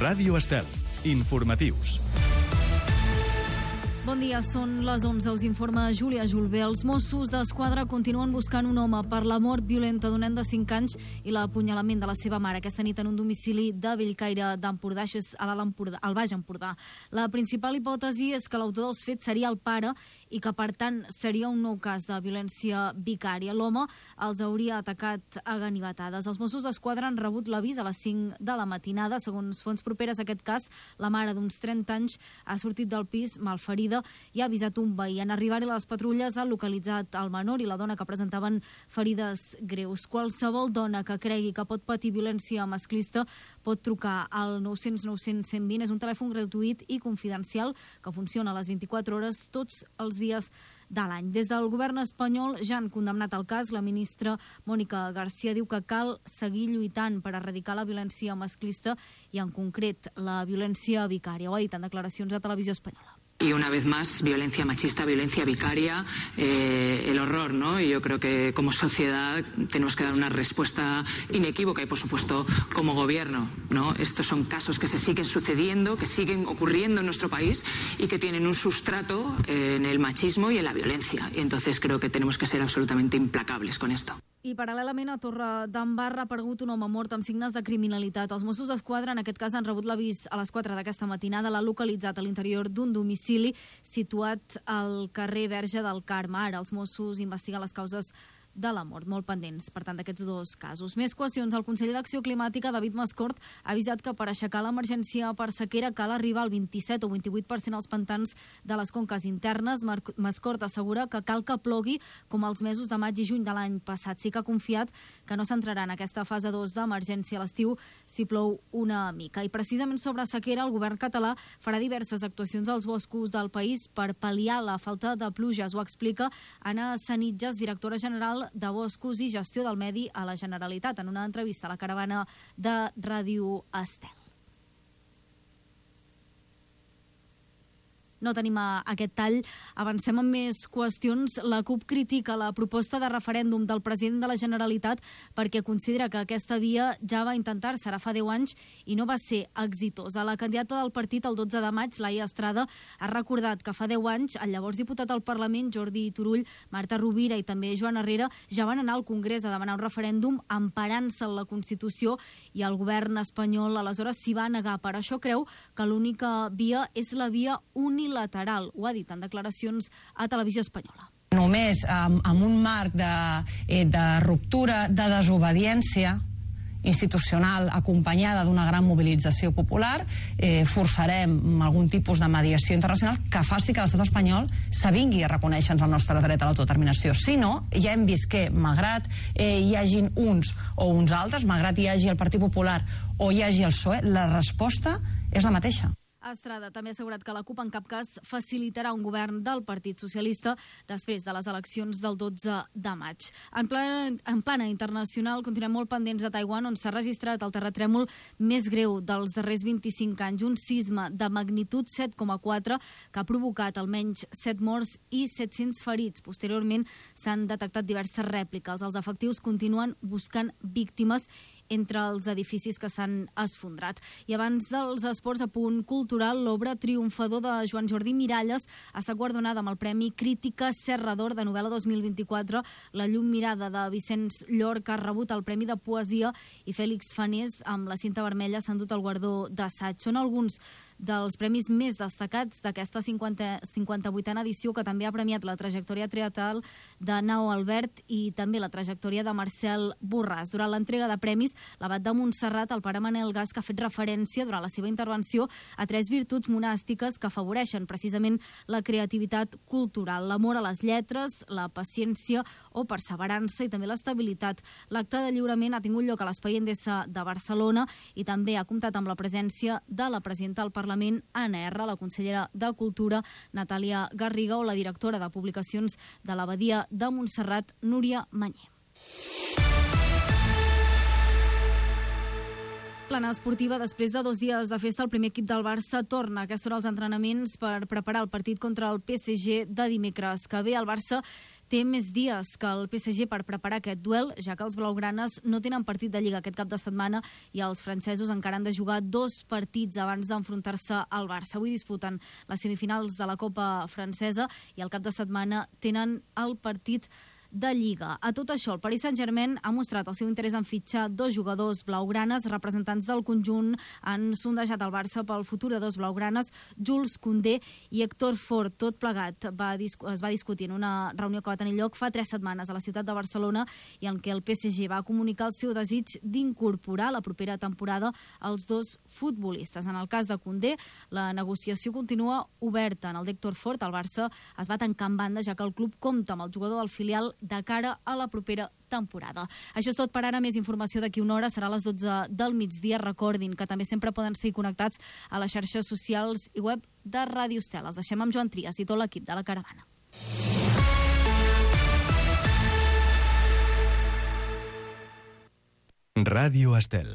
Ràdio Estel. Informatius. Bon dia, són les 11, us informa Júlia Julbé. Els Mossos d'Esquadra continuen buscant un home per la mort violenta d'un nen de 5 anys i l'apunyalament de la seva mare aquesta nit en un domicili de Bellcaire d'Empordà, això és al Baix Empordà. La principal hipòtesi és que l'autor dels fets seria el pare i que, per tant, seria un nou cas de violència vicària. L'home els hauria atacat a ganivetades. Els Mossos d'Esquadra han rebut l'avís a les 5 de la matinada. Segons fonts properes a aquest cas, la mare d'uns 30 anys ha sortit del pis malferida i ha avisat un veí. En arribar-hi les patrulles han localitzat el menor i la dona que presentaven ferides greus. Qualsevol dona que cregui que pot patir violència masclista pot trucar al 900 900 120. És un telèfon gratuït i confidencial que funciona a les 24 hores tots els dies de l'any. Des del govern espanyol ja han condemnat el cas. La ministra Mònica García diu que cal seguir lluitant per erradicar la violència masclista i, en concret, la violència vicària. Ho ha dit en declaracions a Televisió Espanyola. Y una vez más, violencia machista, violencia vicaria, el horror, ¿no? Y yo creo que como sociedad tenemos que dar una respuesta inequívoca y, por supuesto, como gobierno, ¿no? Estos son casos que se siguen sucediendo, que siguen ocurriendo en nuestro país y que tienen un sustrato en el machismo y en la violencia. Y entonces creo que tenemos que ser absolutamente implacables con esto. I paral·lelament a Torredembarra ha aparegut un home mort amb signes de criminalitat. Els Mossos d'Esquadra, en aquest cas, han rebut l'avís a les 4 d'aquesta matinada. L'ha localitzat a l'interior d'un domicili situat al carrer Verge del Carme. Ara els Mossos investiguen les causes de la mort, molt pendents, per tant, d'aquests dos casos. Més qüestions. El conseller d'Acció Climàtica, David Mascort, ha avisat que per aixecar l'emergència per sequera cal arribar al 27 o 28% als pantans de les conques internes. Mascort assegura que cal que plogui com els mesos de maig i juny de l'any passat. Sí que ha confiat que no s'entrarà en aquesta fase 2 d'emergència a l'estiu si plou una mica. I precisament sobre sequera, el govern català farà diverses actuacions als boscos del país per pal·liar la falta de pluges. Ho explica Anna Sanitges, directora general de Boscos i Gestió del Medi a la Generalitat, en una entrevista a la caravana de Ràdio Estel. No tenim aquest tall. Avancem amb més qüestions. La CUP critica la proposta de referèndum del president de la Generalitat perquè considera que aquesta via ja va intentar-se ara fa 10 anys i no va ser exitosa. La candidata del partit el 12 de maig, Laia Estrada, ha recordat que fa 10 anys el llavors diputat al Parlament, Jordi Turull, Marta Rovira i també Joan Herrera ja van anar al Congrés a demanar un referèndum emparant-se en la Constitució i el govern espanyol aleshores s'hi va negar. Per això creu que l'única via és la via unilateral. Ho ha dit en declaracions a Televisió Espanyola. Només amb un marc de ruptura, de desobediència institucional acompanyada d'una gran mobilització popular, forçarem algun tipus de mediació internacional que faci que l'estat espanyol s'avingui a reconèixer el nostre dret a l'autodeterminació. Si no, ja hem vist que, malgrat hi hagin uns o uns altres, malgrat hi hagi el Partit Popular o hi hagi el PSOE, la resposta és la mateixa. Estrada també ha assegurat que la CUP en cap cas facilitarà un govern del Partit Socialista després de les eleccions del 12 de maig. En plana internacional, continuem molt pendents de Taiwan, on s'ha registrat el terratrèmol més greu dels darrers 25 anys, un sisme de magnitud 7,4 que ha provocat almenys 7 morts i 700 ferits. Posteriorment s'han detectat diverses rèpliques. Els efectius continuen buscant víctimes entre els edificis que s'han esfondrat. I abans dels esports, a punt cultural, l'obra triomfador de Joan Jordi Miralles ha estat guardonada amb el Premi Crítica Serra d'Or de novel·la 2024. La llum mirada de Vicenç Llorca ha rebut el Premi de Poesia i Fèlix Fanés amb La cinta vermella s'ha endut el guardó d'assaig. Són alguns dels premis més destacats d'aquesta 58a edició, que també ha premiat la trajectòria teatral de Nao Albert i també la trajectòria de Marcel Borràs. Durant l'entrega de premis, l'abat de Montserrat, el pare Manel Gas, que ha fet referència durant la seva intervenció a 3 virtuts monàstiques que afavoreixen precisament la creativitat cultural, l'amor a les lletres, la paciència o perseverança i també l'estabilitat. L'acte de lliurament ha tingut lloc a l'Espai Endesa de Barcelona i també ha comptat amb la presència de la presidenta del Parlament, Anna R., la consellera de Cultura, Natàlia Garriga, o la directora de Publicacions de l'Abadia de Montserrat, Núria Mañé. plana esportiva, després de 2 dies de festa, el primer equip del Barça torna. Aquests són els entrenaments per preparar el partit contra el PSG de dimecres que ve. El Barça té més dies que el PSG per preparar aquest duel, ja que els blaugranes no tenen partit de Lliga aquest cap de setmana i els francesos encara han de jugar 2 partits abans d'enfrontar-se al Barça. Avui disputen les semifinals de la Copa francesa i el cap de setmana tenen el partit de Lliga. A tot això, el Paris Saint-Germain ha mostrat el seu interès en fitxar 2 jugadors blaugranes. Representants del conjunt han sondejat el Barça pel futur de 2 blaugranes, Jules Koundé i Héctor Fort. Tot plegat es va discutir en una reunió que va tenir lloc fa 3 setmanes a la ciutat de Barcelona i en què el PSG va comunicar el seu desig d'incorporar la propera temporada els 2 futbolistes. En el cas de Koundé, la negociació continua oberta. En el d'Héctor Fort, el Barça es va tancar en banda, ja que el club compta amb el jugador del filial de cara a la propera temporada. Això és tot per ara. Més informació d'aquí una hora. Serà a les 12 del migdia. Recordin que també sempre poden seguir connectats a les xarxes socials i web de Ràdio Estel. Els deixem amb Joan Trias i tot l'equip de la Caravana. Ràdio Estel.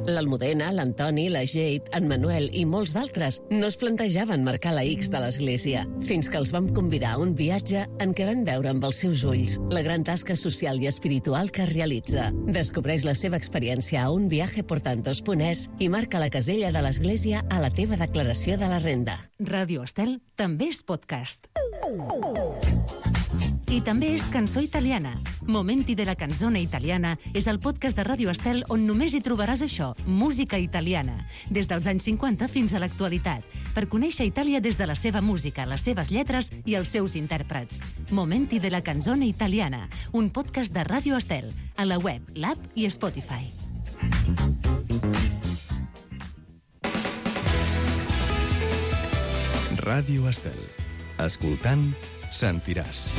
L'Almudena, l'Antoni, la Jade, en Manuel i molts d'altres no es plantejaven marcar la X de l'església, fins que els vam convidar a un viatge en què van veure amb els seus ulls la gran tasca social i espiritual que realitza. Descobreix la seva experiència a unviajeportantos.es i marca la casella de l'església a la teva declaració de la renda. Ràdio Estel també és podcast. I també és Cançó Italiana. Momenti de la canzone italiana és el podcast de Ràdio Estel on només hi trobaràs això, música italiana, des dels anys 50 fins a l'actualitat, per conèixer Itàlia des de la seva música, les seves lletres i els seus intèrprets. Momenti de la canzone italiana, un podcast de Ràdio Estel, a la web, l'app i Spotify. Ràdio Estel. Escoltant, sentiràs.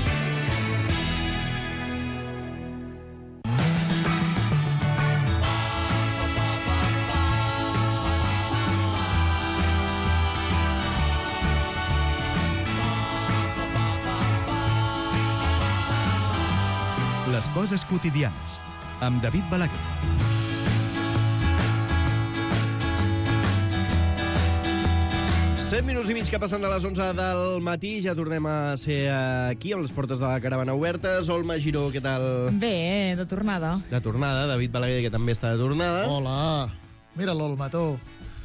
Les coses quotidianes, amb David Balaguer. Minuts i mig que passen de les 11 del matí. Ja tornem a ser aquí, amb les portes de la Caravana obertes. Olma Giró, què tal? Bé, de tornada. De tornada. David Balaguer, que també està de tornada. Hola. Mira l'Olma, tu.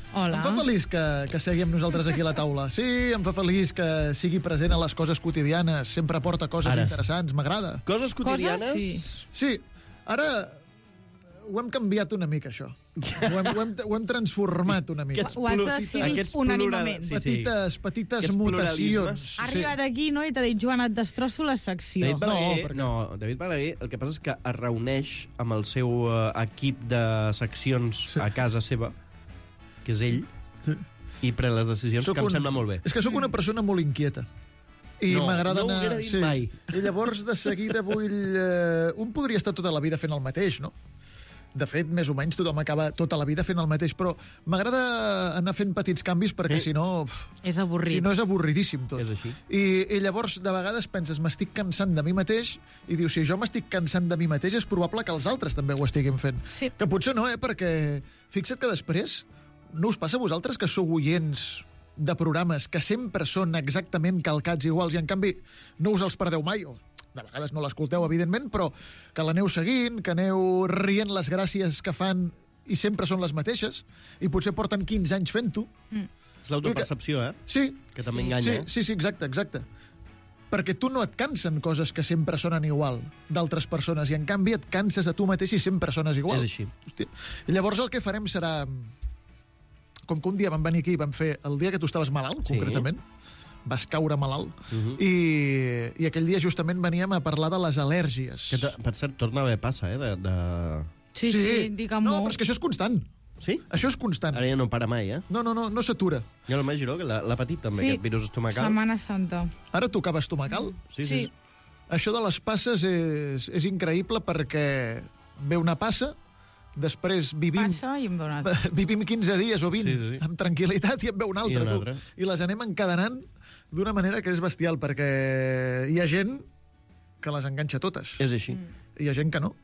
Hola. Em fa feliç que segui amb nosaltres aquí a la taula. Sí, em fa feliç que sigui present a les coses quotidianes. Sempre aporta coses interessants, m'agrada. Coses quotidianes? Sí. Ara ho hem canviat una mica, això. Ho hem transformat una mica. Ho has decidit unànimament. Petites mutacions. Ha arribat aquí, no?, i t'ha dit, Joan, et destrosso la secció. David Balaguer, el que passa és que es reuneix amb el seu equip de seccions a casa seva, que és ell, i pren les decisions, que em sembla molt bé. És que sóc una persona molt inquieta. I m'agrada anar... No ho haguera dit mai. I llavors, de seguida, un podria estar tota la vida fent el mateix, no? De fet, més o menys tothom acaba tota la vida fent el mateix, però m'agrada anar fent petits canvis perquè si no... És avorrit. Si no, és avorridíssim tot. És així. I llavors, de vegades, penses, m'estic cansant de mi mateix, i dius, si jo m'estic cansant de mi mateix, és probable que els altres també ho estiguin fent. Sí. Que potser no, perquè fixa't que després no us passa a vosaltres que sou oients de programes que sempre són exactament calcats iguals i, en canvi, no us els perdeu mai, o de vegades no l'escolteu, evidentment, però que l'aneu seguint, que aneu rient les gràcies que fan i sempre són les mateixes, i potser porten 15 anys fent-ho. És l'autopercepció, Sí. Que també enganya. Sí, exacte. Perquè tu no et cansen coses que sempre sonen igual d'altres persones, i en canvi et canses de tu mateix i sempre sones igual. És així. Hòstia. I llavors el que farem serà... Com que un dia vam venir aquí i vam fer el dia que tu estaves malalt, concretament, vas caure malalt, i aquell dia justament veníem a parlar de les al·lèrgies. Que, per cert, torna a haver passa, Sí, digue'm-ho. No, però és que això és constant. Sí? Això és constant. Ara ja no para mai, No s'atura. I el Giró, que l'ha patit també, aquest virus estomacal. Setmana Santa. Ara tocava estomacal? Sí. Això de les passes és increïble, perquè ve una passa, després vivim 15 dies o 20 amb tranquil·litat, i en ve una altra, I les anem encadenant d'una manera que és bestial, perquè hi ha gent que les enganxa totes. És així. Hi ha gent que no.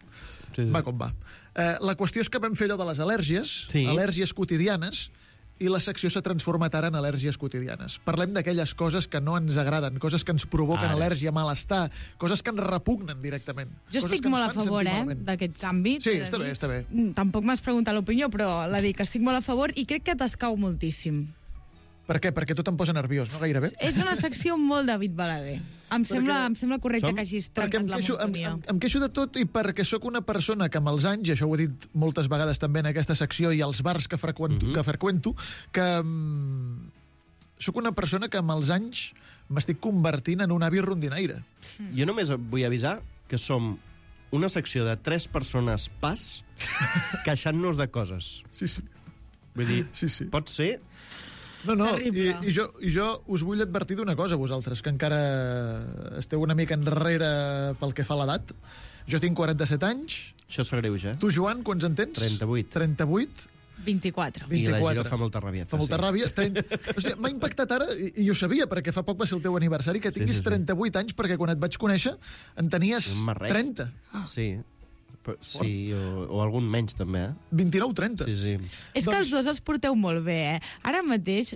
Sí. Va com va. La qüestió és que vam fer allò de les al·lèrgies, al·lèrgies quotidianes, i la secció s'ha transformat ara en al·lèrgies quotidianes. Parlem d'aquelles coses que no ens agraden, coses que ens provoquen al·lèrgia, malestar, coses que ens repugnen directament. Jo estic molt a favor, d'aquest canvi. Sí, està bé, està bé. Tampoc m'has preguntat l'opinió, però la dic que estic molt a favor i crec que t'escau moltíssim. Per què? Perquè tot em posa nerviós, no gairebé? És una secció molt David Balaguer. Em sembla correcte que hagis trencat la monotonia. Em queixo de tot i perquè sóc una persona que amb els anys, i això ho he dit moltes vegades també en aquesta secció i als bars que freqüento, que sóc una persona que amb els anys m'estic convertint en un avi rondinaire. Jo només vull avisar que som una secció de 3 persones pas queixant-nos de coses. Sí. Vull dir, pot ser... No, i jo us vull advertir d'una cosa, vosaltres, que encara esteu una mica enrere pel que fa a l'edat. Jo tinc 47 anys. Això s'agreuja, Tu, Joan, quants en tens? 38. 38? 24. I la Giro fa molta ràbia. Fa molta ràbia. O sigui, m'ha impactat ara, i ho sabia, perquè fa poc va ser el teu aniversari, que tinguis 38 anys, perquè quan et vaig conèixer en tenies 30. Sí. Sí, o algun menys, també, 29-30. Sí. És que els dos els porteu molt bé, Ara mateix,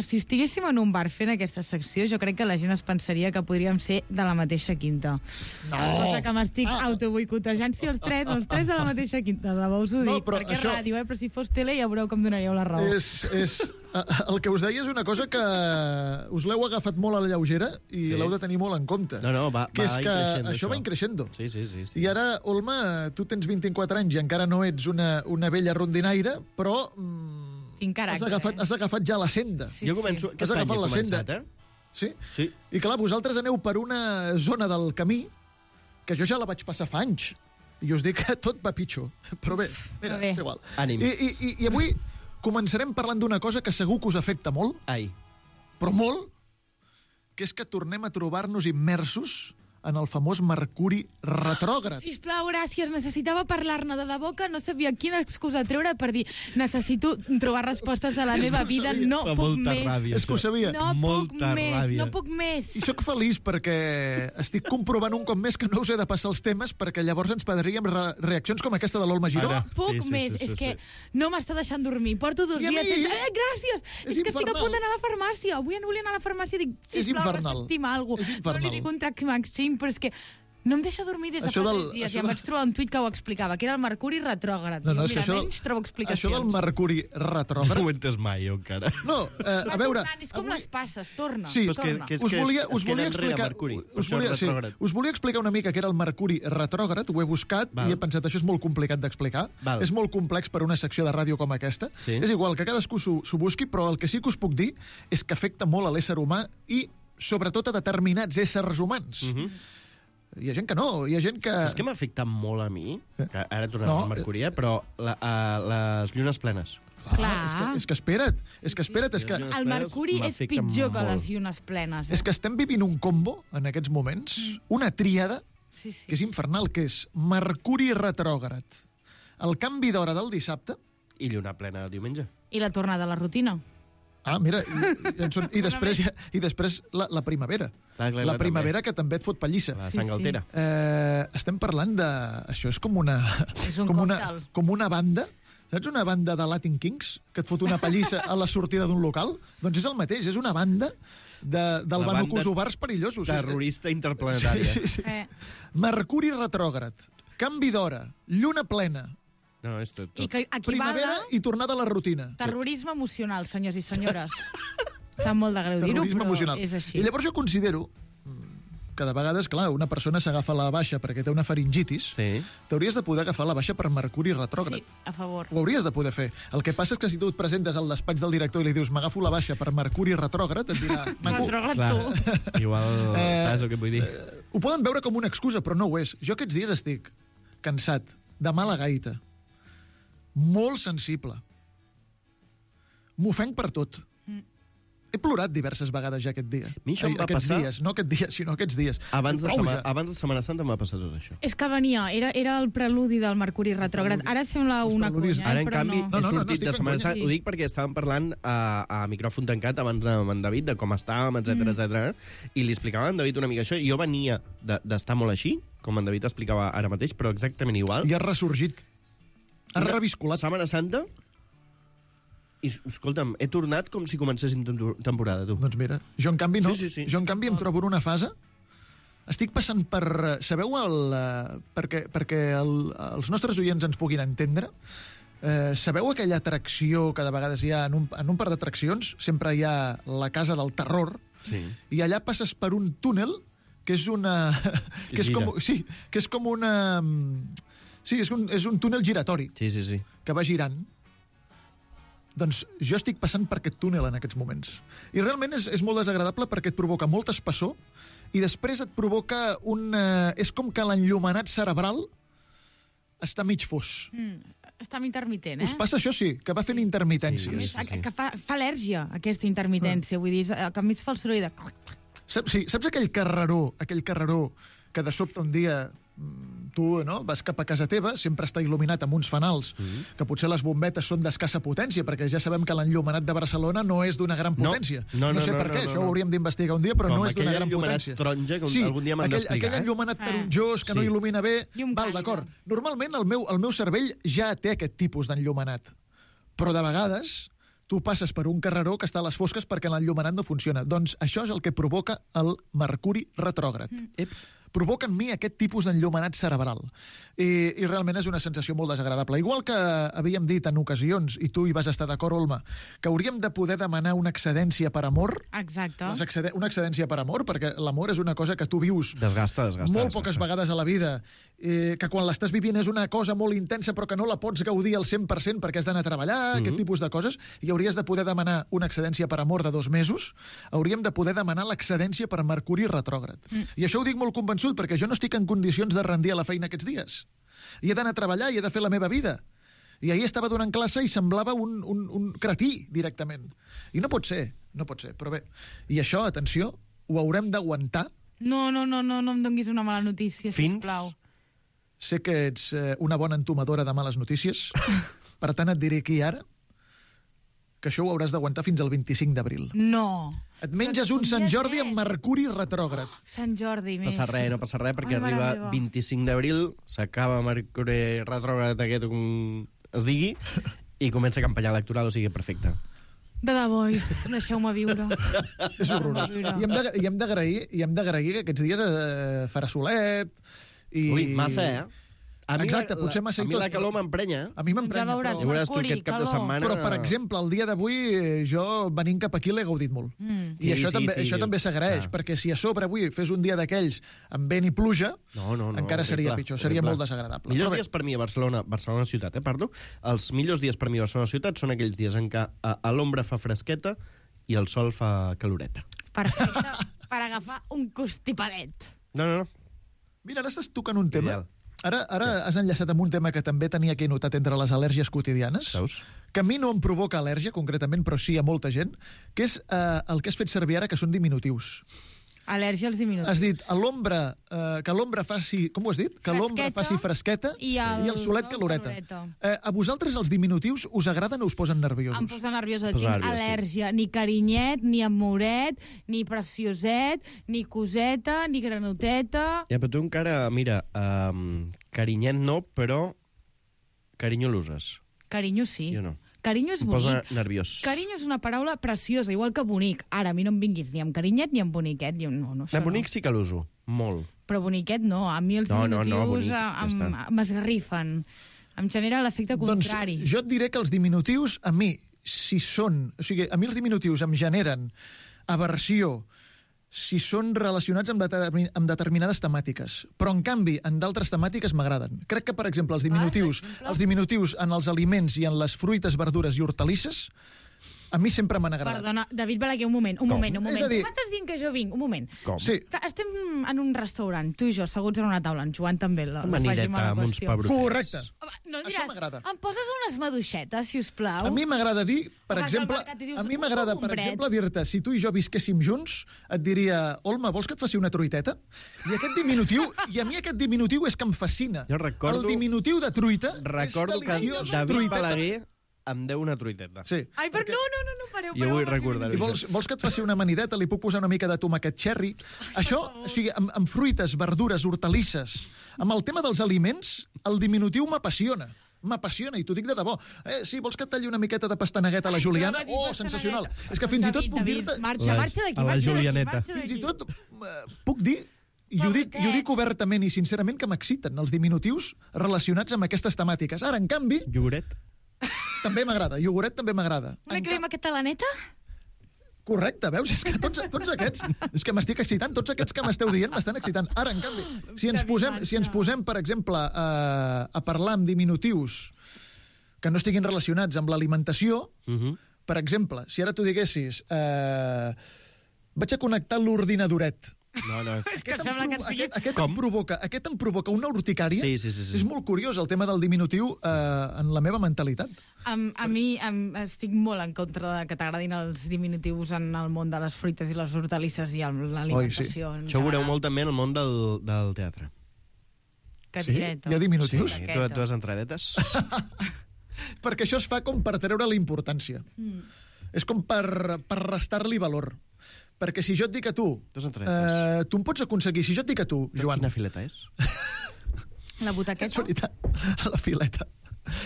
si estiguéssim en un bar fent aquesta secció, jo crec que la gent es pensaria que podríem ser de la mateixa quinta. Cosa que m'estic autoboicotejant si els tres de la mateixa quinta, de debò us ho dic, perquè és ràdio, però si fos tele ja veureu que em donaríeu la raó. El que us deia és una cosa que us l'heu agafat molt a la lleugera i l'heu de tenir molt en compte. No, va que és que això va increixendo. Sí. I ara, Olma, tu tens 24 anys i encara no ets una vella rondinaire, però has agafat ja la senda. Jo començo... Has agafat la senda. Sí? I clar, vosaltres aneu per una zona del camí que jo ja la vaig passar fa anys. I us dic que tot va pitjor. Però bé, mira, és igual. Ànims. I avui començarem parlant d'una cosa que segur que us afecta molt, però molt, que és que tornem a trobar-nos immersos en el famós Mercuri retrògrad. Sisplau, gràcies. Necessitava parlar-ne de debò que no sabia quina excusa treure per dir necessito trobar respostes de la meva vida. No puc més. És que ho sabia. No puc més. I sóc feliç perquè estic comprovant un cop més que no us he de passar els temes perquè llavors ens perdríem reaccions com aquesta de l'Olma Giró. No puc més. És que no m'està deixant dormir. Porto 2 dies sense... Gràcies! És que estic a punt d'anar a la farmàcia. Avui no volia anar a la farmàcia i dic, sisplau, ressentim alguna cosa. No li dic un Trac-Maxim, però és que no em deixa dormir des de fa 3 dies. I em vaig trobar un tuit que ho explicava, que era el Mercuri retrògrad. Mira, menys trobo explicacions. Això del Mercuri retrògrad... No ho entes mai, jo, encara. No, a veure... És com les passes, torna. Sí, us volia explicar una mica què era el Mercuri retrògrad, ho he buscat i he pensat, això és molt complicat d'explicar. És molt complex per una secció de ràdio com aquesta. És igual, que cadascú s'ho busqui, però el que sí que us puc dir és que afecta molt a l'ésser humà i sobretot a determinats éssers humans. Hi ha gent que no, hi ha gent que... Saps què m'ha afectat molt a mi? Que ara tornem al Mercuri, però les llunes plenes. Clar. És que espera't. El Mercuri és pitjor que les llunes plenes. És que estem vivint un combo, en aquests moments, una tríada, que és infernal, que és Mercuri retrògrad, el canvi d'hora del dissabte... I lluna plena el diumenge. I la tornada a la rutina. Mira, i després la primavera. La primavera que també et fot pallissa. La sang altera. Estem parlant de... Això és com una... Com una banda... Saps una banda de Latin Kings que et fot una pallissa a la sortida d'un local? Doncs és el mateix, és una banda del Banocosovars perillosos. Terrorista interplanetària. Sí. Mercuri retrògrad, canvi d'hora, lluna plena, No, és tot. Primavera i tornada a la rutina. Terrorisme emocional, senyors i senyores. Està molt de greu dir-ho, però és així. I llavors jo considero que de vegades, clar, una persona s'agafa la baixa perquè té una faringitis, t'hauries de poder agafar la baixa per Mercuri retrògrad. Sí, a favor. Ho hauries de poder fer. El que passa és que si tu et presentes al despatx del director i li dius m'agafo la baixa per Mercuri retrògrad, et dirà... Retrògrad tu. Igual, saps el que vull dir? Ho poden veure com una excusa, però no ho és. Jo aquests dies estic cansat, de mala gaita, molt sensible. M'ofenc per tot. He plorat diverses vegades ja aquest dia. A mi això em va passar... dies, no aquest dia, sinó aquests dies. Abans de Setmana Santa em va passar tot això. És que venia, era el preludi del Mercuri retrògrad. Ara sembla una conya, Ara, en però canvi, no. he sortit de Setmana Santa. Ho dic perquè estàvem parlant a micròfon tancat abans amb en David, de com estàvem, etc. I li explicava a en David una mica això. Jo venia d'estar molt així, com en David explicava ara mateix, però exactament igual. I has ressorgit. Has reviscolat. Setmana Santa... I, escolta'm, he tornat com si comencessin temporada, tu. Doncs mira, jo en canvi no. Sí. Jo en canvi em trobo en una fase... Estic passant per... Sabeu perquè els nostres oients ens puguin entendre? Sabeu aquella atracció que de vegades hi ha en un parc d'atraccions? Sempre hi ha la casa del terror. Sí. I allà passes per un túnel que és una... que és com una... Sí, és un túnel giratori. Sí. Que va girant. Doncs jo estic passant per aquest túnel en aquests moments. I realment és molt desagradable perquè et provoca molt espessor i després et provoca és com que l'enllumenat cerebral està mig fos. Està intermitent, Us passa això, sí, que va fent intermitències. Sí. Que fa al·lèrgia, aquesta intermitència. Vull dir, que enmig fa el soroll de... Saps aquell carreró que de sobte un dia tu vas cap a casa teva, sempre està il·luminat amb uns fanals, que potser les bombetes són d'escassa potència, perquè ja sabem que l'enllumenat de Barcelona no és d'una gran potència. No sé per què, això ho hauríem d'investigar un dia, però no és d'una gran potència. Com aquell enllumenat taronja, que algun dia m'han d'explicar. Aquell enllumenat taronjós que no il·lumina bé, d'acord. Normalment el meu cervell ja té aquest tipus d'enllumenat, però de vegades tu passes per un carreró que està a les fosques perquè l'enllumenat no funciona. Doncs això és el que provoca el Mercuri retrògrad. Provoca en mi aquest tipus d'enllumenat cerebral. I realment és una sensació molt desagradable. Igual que havíem dit en ocasions, i tu hi vas estar d'acord, Olma, que hauríem de poder demanar una excedència per amor. Exacte. Una excedència per amor, perquè l'amor és una cosa que tu vius desgasta molt poques vegades a la vida, que quan l'estàs vivint és una cosa molt intensa però que no la pots gaudir al 100% perquè has d'anar a treballar, aquest tipus de coses, i hauries de poder demanar una excedència per amor de 2 mesos, hauríem de poder demanar l'excedència per Mercuri retrògrad. I això ho dic molt convençut, perquè jo no estic en condicions de rendir a la feina aquests dies. I he d'anar a treballar i he de fer la meva vida. I ahir estava donant classe i semblava un cretí, directament. I no pot ser, però bé. I això, atenció, ho haurem d'aguantar. No em donguis una mala notícia, sisplau. Sé que ets una bona entomadora de males notícies, per tant et diré aquí ara que això ho hauràs d'aguantar fins al 25 d'abril. No. Et menges un Sant Jordi amb Mercuri retrògrad. Sant Jordi, més. No passa res, perquè arriba 25 d'abril, s'acaba Mercuri retrògrad aquest, es digui, i comença campanya electoral, o sigui, perfecte. De debò, deixeu-me viure. És horrorós. I hem d'agrair que aquests dies farà solet. Ui, massa, Exacte, potser massa i tot. A mi la calor m'emprenya. A mi m'emprenya. Ja veuràs, Mercuri, calor. Però, per exemple, el dia d'avui, jo venint cap aquí l'he gaudit molt. I això també s'agraeix, perquè si a sobre avui fes un dia d'aquells amb vent i pluja, encara seria pitjor, seria molt desagradable. Millors dies per mi a Barcelona ciutat, parlo. Els millors dies per mi a Barcelona ciutat són aquells dies en què a l'ombra fa fresqueta i el sol fa caloreta. Perfecte, per agafar un constipadet. No. Mira, ara estàs tocant un tema. Ara has enllaçat amb un tema que també tenia aquí notat entre les al·lèrgies quotidianes, que a mi no em provoca al·lèrgia, concretament, però sí a molta gent, que és el que has fet servir ara, que són diminutius. Al·lèrgia als diminutius. Has dit, que l'ombra faci... Com ho has dit? Que l'ombra faci fresqueta i el solet caloreta. A vosaltres els diminutius us agraden o us posen nerviosos? Em posa nerviosa. Tinc al·lèrgia. Ni carinyet, ni amoret, ni precioset, ni coseta, ni granoteta... Ja, però tu encara, mira, carinyet no, però carinyo l'uses. Carinyo sí. Jo no. Carinyo és bonic. Em posa nerviós. Carinyo és una paraula preciosa, igual que bonic. Ara, a mi no em vinguis ni amb carinyet ni amb boniquet. No, bonic sí que l'uso, molt. Però boniquet no. A mi els diminutius m'esgarrifen. Em genera l'efecte contrari. Doncs jo et diré que els diminutius, a mi, a mi els diminutius em generen aversió si són relacionats amb determinades temàtiques. Però, en canvi, en d'altres temàtiques m'agraden. Crec que, per exemple, els diminutius en els aliments i en les fruites, verdures i hortalisses A mi sempre m'han agradat. Perdona, David Balaguer, un moment. És a dir- Tu m'estàs dient que jo vinc? Un moment. Com? Sí, Estem en un restaurant, tu i jo, asseguts en una taula, en Joan també. Amanideta amb uns pebrotets. correcte. No Això diràs, m'agrada. em poses unes maduixetes, si us plau? A mi m'agrada dir, per Vas al exemple, mercat i dius, a mi un m'agrada, bon per compret. exemple, dir-te, si tu i jo visquéssim junts, et diria, Olma, vols que et faci una truiteta? I aquest diminutiu, i a mi aquest diminutiu és que em fascina. Jo recordo- El diminutiu de truita Recordo és que deliciós. David Truiteta. Balaguer em deu una truiteta. Sí. Ai, però no, pareu. Jo vull recordar-ho. I vols que et faci una amanideta? Li puc posar una mica de tomàquet cherry? Això, o sigui, amb fruites, verdures, hortalisses, amb el tema dels aliments, el diminutiu m'apassiona. M'apassiona, i t'ho dic de debò. Sí, vols que et talli una miqueta de pastanegueta a la Juliana? David, Oh, pastanegueta. sensacional. És que fins i tot puc David, dir-te... marxa d'aquí, A la marxa d'aquí, Julianeta. marxa Fins i d'aquí. tot puc dir, i ho dic obertament i sincerament, que m'exciten els diminutius relacionats amb aquestes temàtiques. Ara, en canvi, Iogurt? també m'agrada. Iogurt també m'agrada. Una crema catalaneta? Correcte, veus? És que tots aquests... És que m'estic excitant. Tots aquests que m'esteu dient m'estan excitant. Ara, en canvi, si ens posem, per exemple, a parlar amb diminutius que no estiguin relacionats amb l'alimentació, per exemple, si ara tu diguessis vaig a connectar l'ordinadoret. No. És que sembla que en sigui... Aquest em provoca una urticària. Sí. És molt curiós el tema del diminutiu en la meva mentalitat. A mi estic molt en contra de que t'agradin els diminutius en el món de les fruites i les hortalisses i l'alimentació. Oi, en Això ho veureu general. molt també en el món del teatre. Cadireta. Sí? Hi ha diminutius? Sí, tu has entradetes? Perquè això es fa com per treure la importància. És com per restar-li valor. Perquè si jo et dic a tu... Tu has entradetes. Tu em pots aconseguir... Si jo et dic a tu, Joan... Quina fileta és? La butaqueta? La fileta.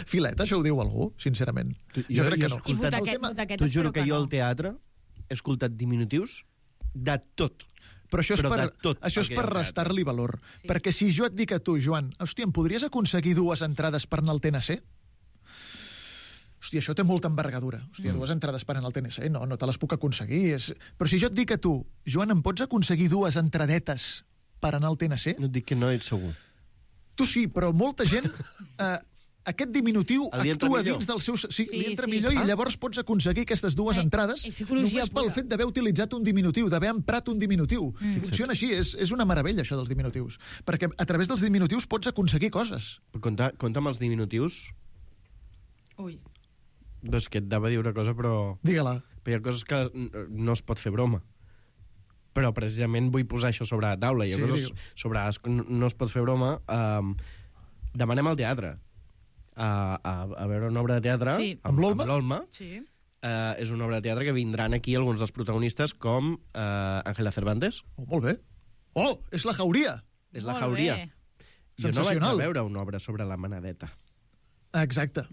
Fileta, això ho diu algú, sincerament. Jo crec que no. I butaqueta, T'ho juro que jo no. al teatre he escoltat diminutius de tot. Però això és Però per, de tot això és el que per hi ha al restar-li valor. Perquè si jo et dic a tu, Joan, hòstia, em podries aconseguir 2 entrades per anar al TNC? Hòstia, això té molta envergadura. Hòstia, 2 entrades per anar al TNC? No te les puc aconseguir. Però si jo et dic a tu, Joan, em pots aconseguir 2 entradetes per anar al TNC? No et dic que no ets segur. Tu sí, però molta gent... aquest diminutiu Li entra actua millor. dins del seu... Sí, li entra sí. millor i llavors pots aconseguir aquestes 2 entrades és psicologia només pel pura. fet d'haver utilitzat un diminutiu, d'haver emprat un diminutiu. Funciona així, és una meravella, això dels diminutius. Perquè a través dels diminutius pots aconseguir coses. Compte amb els diminutius. Ui. Doncs que et anava a dir una cosa, però... Digue-la. Però hi ha coses que no es pot fer broma. Però precisament vull posar això sobre la taula. Hi ha coses sobre les que no es pot fer broma. Demanem al teatre a veure una obra de teatre amb l'Olma. Sí. És una obra de teatre que vindran aquí alguns dels protagonistes com Ángela Cervantes. Oh, molt bé. Oh, és la Jauria. És la Molt Jauria. bé. Jo no vaig Sensacional. a veure una obra sobre la manadeta. Exacte.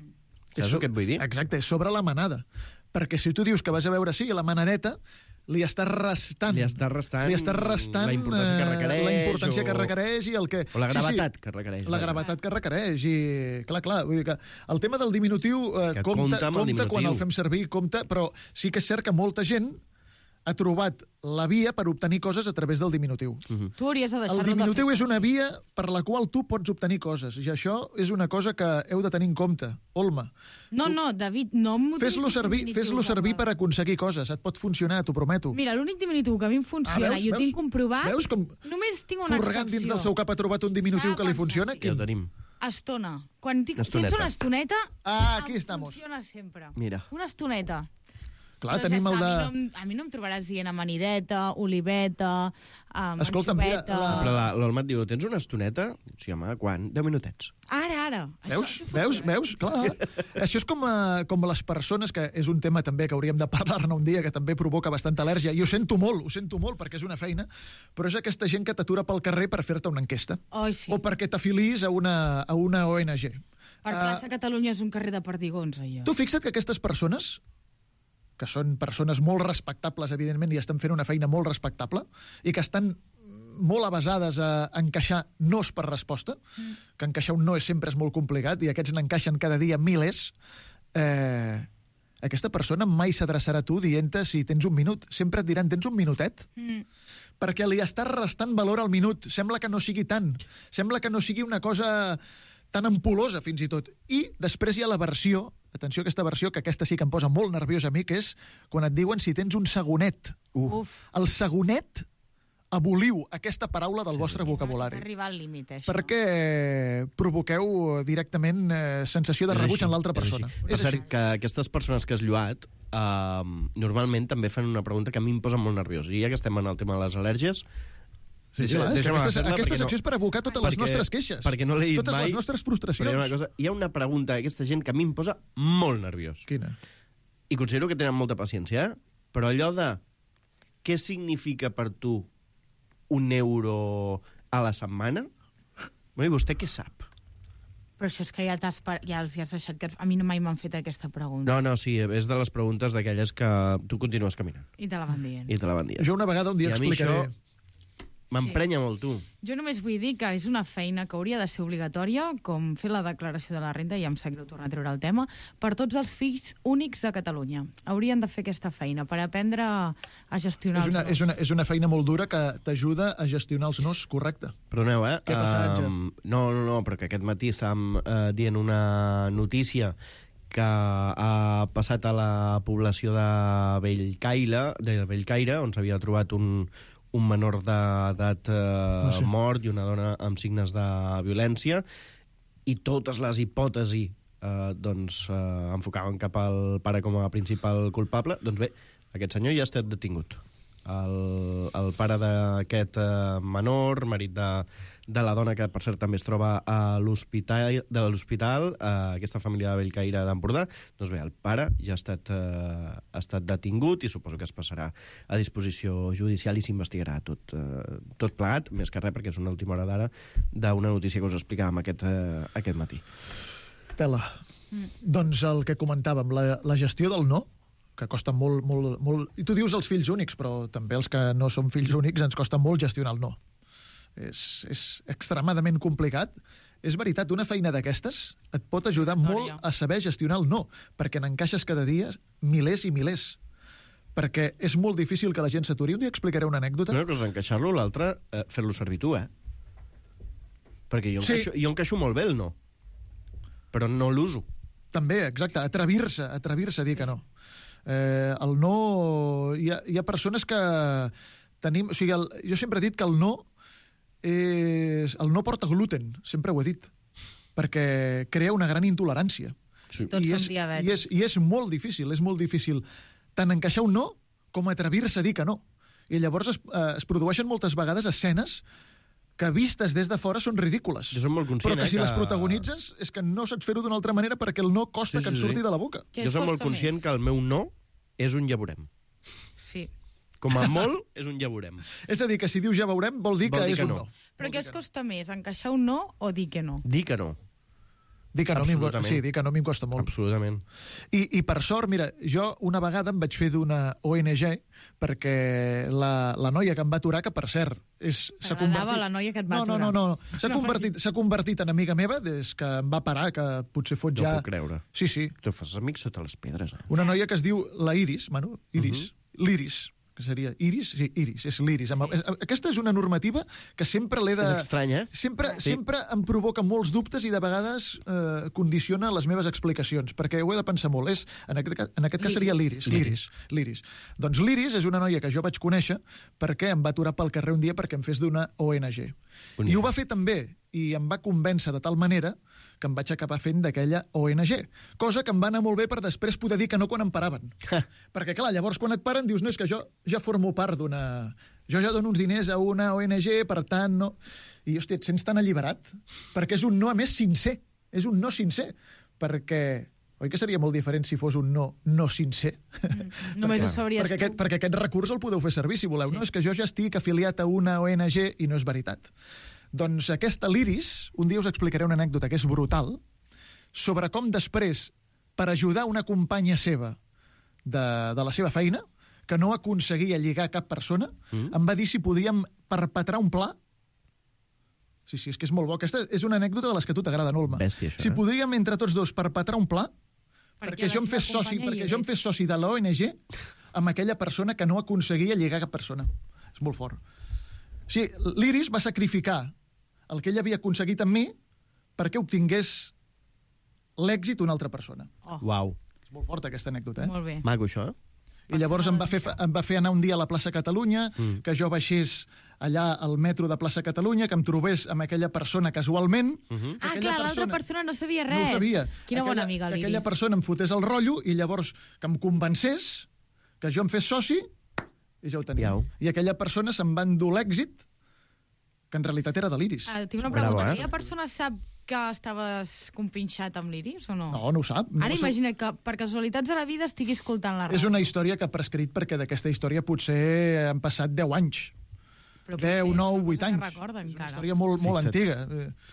Saps el que et vull dir? Exacte, és sobre la manada. Perquè si tu dius que vas a veure, la manadeta, li estàs restant Li estàs restant la importància que requereix, la importància que requereix i el que... O la gravetat que requereix. La gravetat que requereix i... Clar, vull dir que el tema del diminutiu Que compta compta amb el diminutiu. quan el fem servir, compta, però sí que és cert que molta gent ha trobat la via per obtenir coses a través del diminutiu. Tu hauries de deixar-lo El de diminutiu fer és una via per la qual tu pots obtenir coses, i això és una cosa que heu de tenir en compte. Olma, No, David, no fes-lo servir per aconseguir coses. Et pot funcionar, t'ho prometo. Mira, l'únic diminutiu que a mi em funciona, i ho tinc comprovat, Veus com només tinc una Furgant dins del seu cap ha trobat un diminutiu que li funciona? Ja ho tenim. Estona. Quan tens Estoneta. una estoneta, Aquí em estamos. funciona sempre. Mira. Una estoneta. Clar, Però tenim ja el de... està, a mi no em trobaràs dient amanideta, oliveta, Escolta'm, mira, anxoveta... Però l'Olma et diu, tens una estoneta? Sí, home, quan? 10 minutets. Ara. Veus? Clar. Això és com les persones, que és un tema també que hauríem de parlar-ne un dia, que també provoca bastanta al·lèrgia, i ho sento molt, perquè és una feina, però és aquesta gent que t'atura pel carrer per fer-te una enquesta. Oi, sí. O perquè t'afilis a una ONG. Per plaça Catalunya és un carrer de perdigons, allò. Tu fixa't que aquestes persones, que són persones molt respectables, evidentment, i estan fent una feina molt respectable, i que estan molt avasades a encaixar nos per resposta, que encaixar un no sempre és molt complicat, i aquests n'encaixen cada dia milers, aquesta persona mai s'adreçarà a tu dient-te si tens un minut. Sempre et diran, tens un minutet? Perquè li estàs restant valor al minut. Sembla que no sigui tant. Sembla que no sigui una cosa tan ampul·losa, fins i tot. I després hi ha la versió atenció a aquesta versió, que aquesta sí que em posa molt nerviós a mi, que és quan et diuen si tens un segonet. El segonet, aboliu aquesta paraula del vostre vocabulari. És arribar al límit, això. Perquè provoqueu directament sensació de rebuig en l'altra persona. És cert que aquestes persones que has lluat normalment també fan una pregunta que a mi em posa molt nerviós. I ja que estem en el tema de les al·lèrgies, aquesta secció és per abocar totes les nostres queixes. Perquè no l'he dit totes mai. les nostres frustracions. Hi ha una pregunta d'aquesta gent que a mi em posa molt nerviós. Quina? I considero que tenen molta paciència, però allò de què significa per tu €1 a la setmana? I vostè què sap? Però això és que ja els has deixat... A mi mai m'han fet aquesta pregunta. No, sí, és de les preguntes d'aquelles que tu continues caminant. I te la van dient. Jo una vegada un dia explicaré... M'emprenya molt, tu. Jo només vull dir que és una feina que hauria de ser obligatòria, com fer la declaració de la renda, i em sap greu tornar a treure el tema, per tots els fills únics de Catalunya. Haurien de fer aquesta feina per aprendre a gestionar els nos. És una feina molt dura que t'ajuda a gestionar els nos, correcte. Perdoneu, Què ha passat, No, però que aquest matí estàvem dient una notícia que ha passat a la població de Bellcaire, on s'havia trobat un menor d'edat mort i una dona amb signes de violència, i totes les hipòtesis enfocaven cap al pare com a principal culpable. Doncs bé, aquest senyor ja ha estat detingut. El pare d'aquest menor, marit de la dona, que per cert també es troba a l'hospital, aquesta família de Bellcaire d'Empordà, doncs bé, el pare ja ha estat detingut i suposo que es passarà a disposició judicial i s'investigarà tot plegat, més que res perquè és una última hora d'ara d'una notícia que us explicàvem aquest matí. Tela. Doncs el que comentàvem, la gestió del no, que costa molt... I tu dius els fills únics, però també els que no som fills únics ens costa molt gestionar el no. És extremadament complicat. És veritat, una feina d'aquestes et pot ajudar molt a saber gestionar el no, perquè n'encaixes cada dia milers i milers. Perquè és molt difícil que la gent s'aturi. Un dia explicaré una anècdota. Una cosa, encaixar-lo, l'altra, fer-lo servir tu, Perquè jo encaixo molt bé el no, però no l'uso. També, exacte, atrevir-se a dir que no. El no... Hi ha persones que tenim... O sigui, jo sempre he dit que el no porta gluten, sempre ho he dit, perquè crea una gran intolerància. Sí. Tots som diabètics. I és molt difícil tant encaixar un no com atrevir-se a dir que no. I llavors es produeixen moltes vegades escenes que vistes des de fora són ridícules. Jo soc molt conscient, però que si les protagonitzes és que no saps fer-ho d'una altra manera perquè el no costa que et surti de la boca. Jo soc molt conscient que el meu no és un ja veurem. Sí. Com a molt, és un ja veurem. És a dir, que si dius ja veurem, vol dir que és un no. Però què us costa més, encaixar un no o dir que no? Dir que no. Dir que no m'hi costa molt. Absolutament. I per sort, mira, jo una vegada em vaig fer d'una ONG perquè la noia que em va aturar, que per cert s'ha convertit... la noia que et va aturar. No. S'ha convertit en amiga meva des que em va parar, que potser fot ja... No puc creure. Sí. Tu fas amics sota les pedres, Una noia que es diu la Iris, l'Iris, que seria Iris? Sí, Iris, és l'Iris. Aquesta és una normativa que sempre l'he de... És estranya, Sempre em provoca molts dubtes i de vegades condiciona les meves explicacions, perquè ho he de pensar molt. En aquest cas seria l'Iris. Doncs l'Iris és una noia que jo vaig conèixer perquè em va aturar pel carrer un dia perquè em fes d'una ONG. I ho va fer també, i em va convèncer de tal manera que em vaig acabar fent d'aquella ONG. Cosa que em va anar molt bé per després poder dir que no quan em paraven. Perquè, clar, llavors quan et paren dius, no, és que jo ja formo part d'una... Jo ja dono uns diners a una ONG, per tant, no... I, hòstia, et sents tan alliberat, perquè és un no, a més, sincer. És un no sincer. Perquè... Oi que seria molt diferent si fos un no sincer? Només ho sabries tu. Perquè aquest recurs el podeu fer servir, si voleu. Sí. No, és que jo ja estic afiliat a una ONG i no és veritat. Doncs aquesta l'Iris, un dia us explicaré una anècdota que és brutal, sobre com després, per ajudar una companya seva de la seva feina, que no aconseguia lligar cap persona, em va dir si podíem perpetrar un pla. Sí, és que és molt bo. Aquesta és una anècdota de les que a tu t'agrada, Olma. Bèstia, això, si podríem entre tots dos perpetrar un pla, perquè jo em fes soci de l'ONG amb aquella persona que no aconseguia lligar cap persona. És molt fort. Sí, l'Iris va sacrificar el que ell havia aconseguit amb mi perquè obtingués l'èxit una altra persona. Uau. És molt forta aquesta anècdota, Molt bé. Maco, això. I llavors em va fer anar un dia a la plaça Catalunya, que jo baixés allà al metro de plaça Catalunya, que em trobés amb aquella persona casualment. Clar, l'altra persona no sabia res. No ho sabia. Quina bona amiga, que l'Iris. aquella persona em fotés el rotllo i llavors que em convencés, que jo em fes soci, i ja ho tenia. I aquella persona se'n va endur l'èxit, que en realitat era de l'Iris. Tinc una pregunta. Aquella persona sap que estaves compinxat amb l'Iris o no? No, no ho sap. Ara imagina que per casualitats de la vida estigui escoltant la ràdio. És una història que ha prescrit perquè d'aquesta història potser han passat 10 anys. 10, 9, 8 anys. Recorden, és una història molt antiga.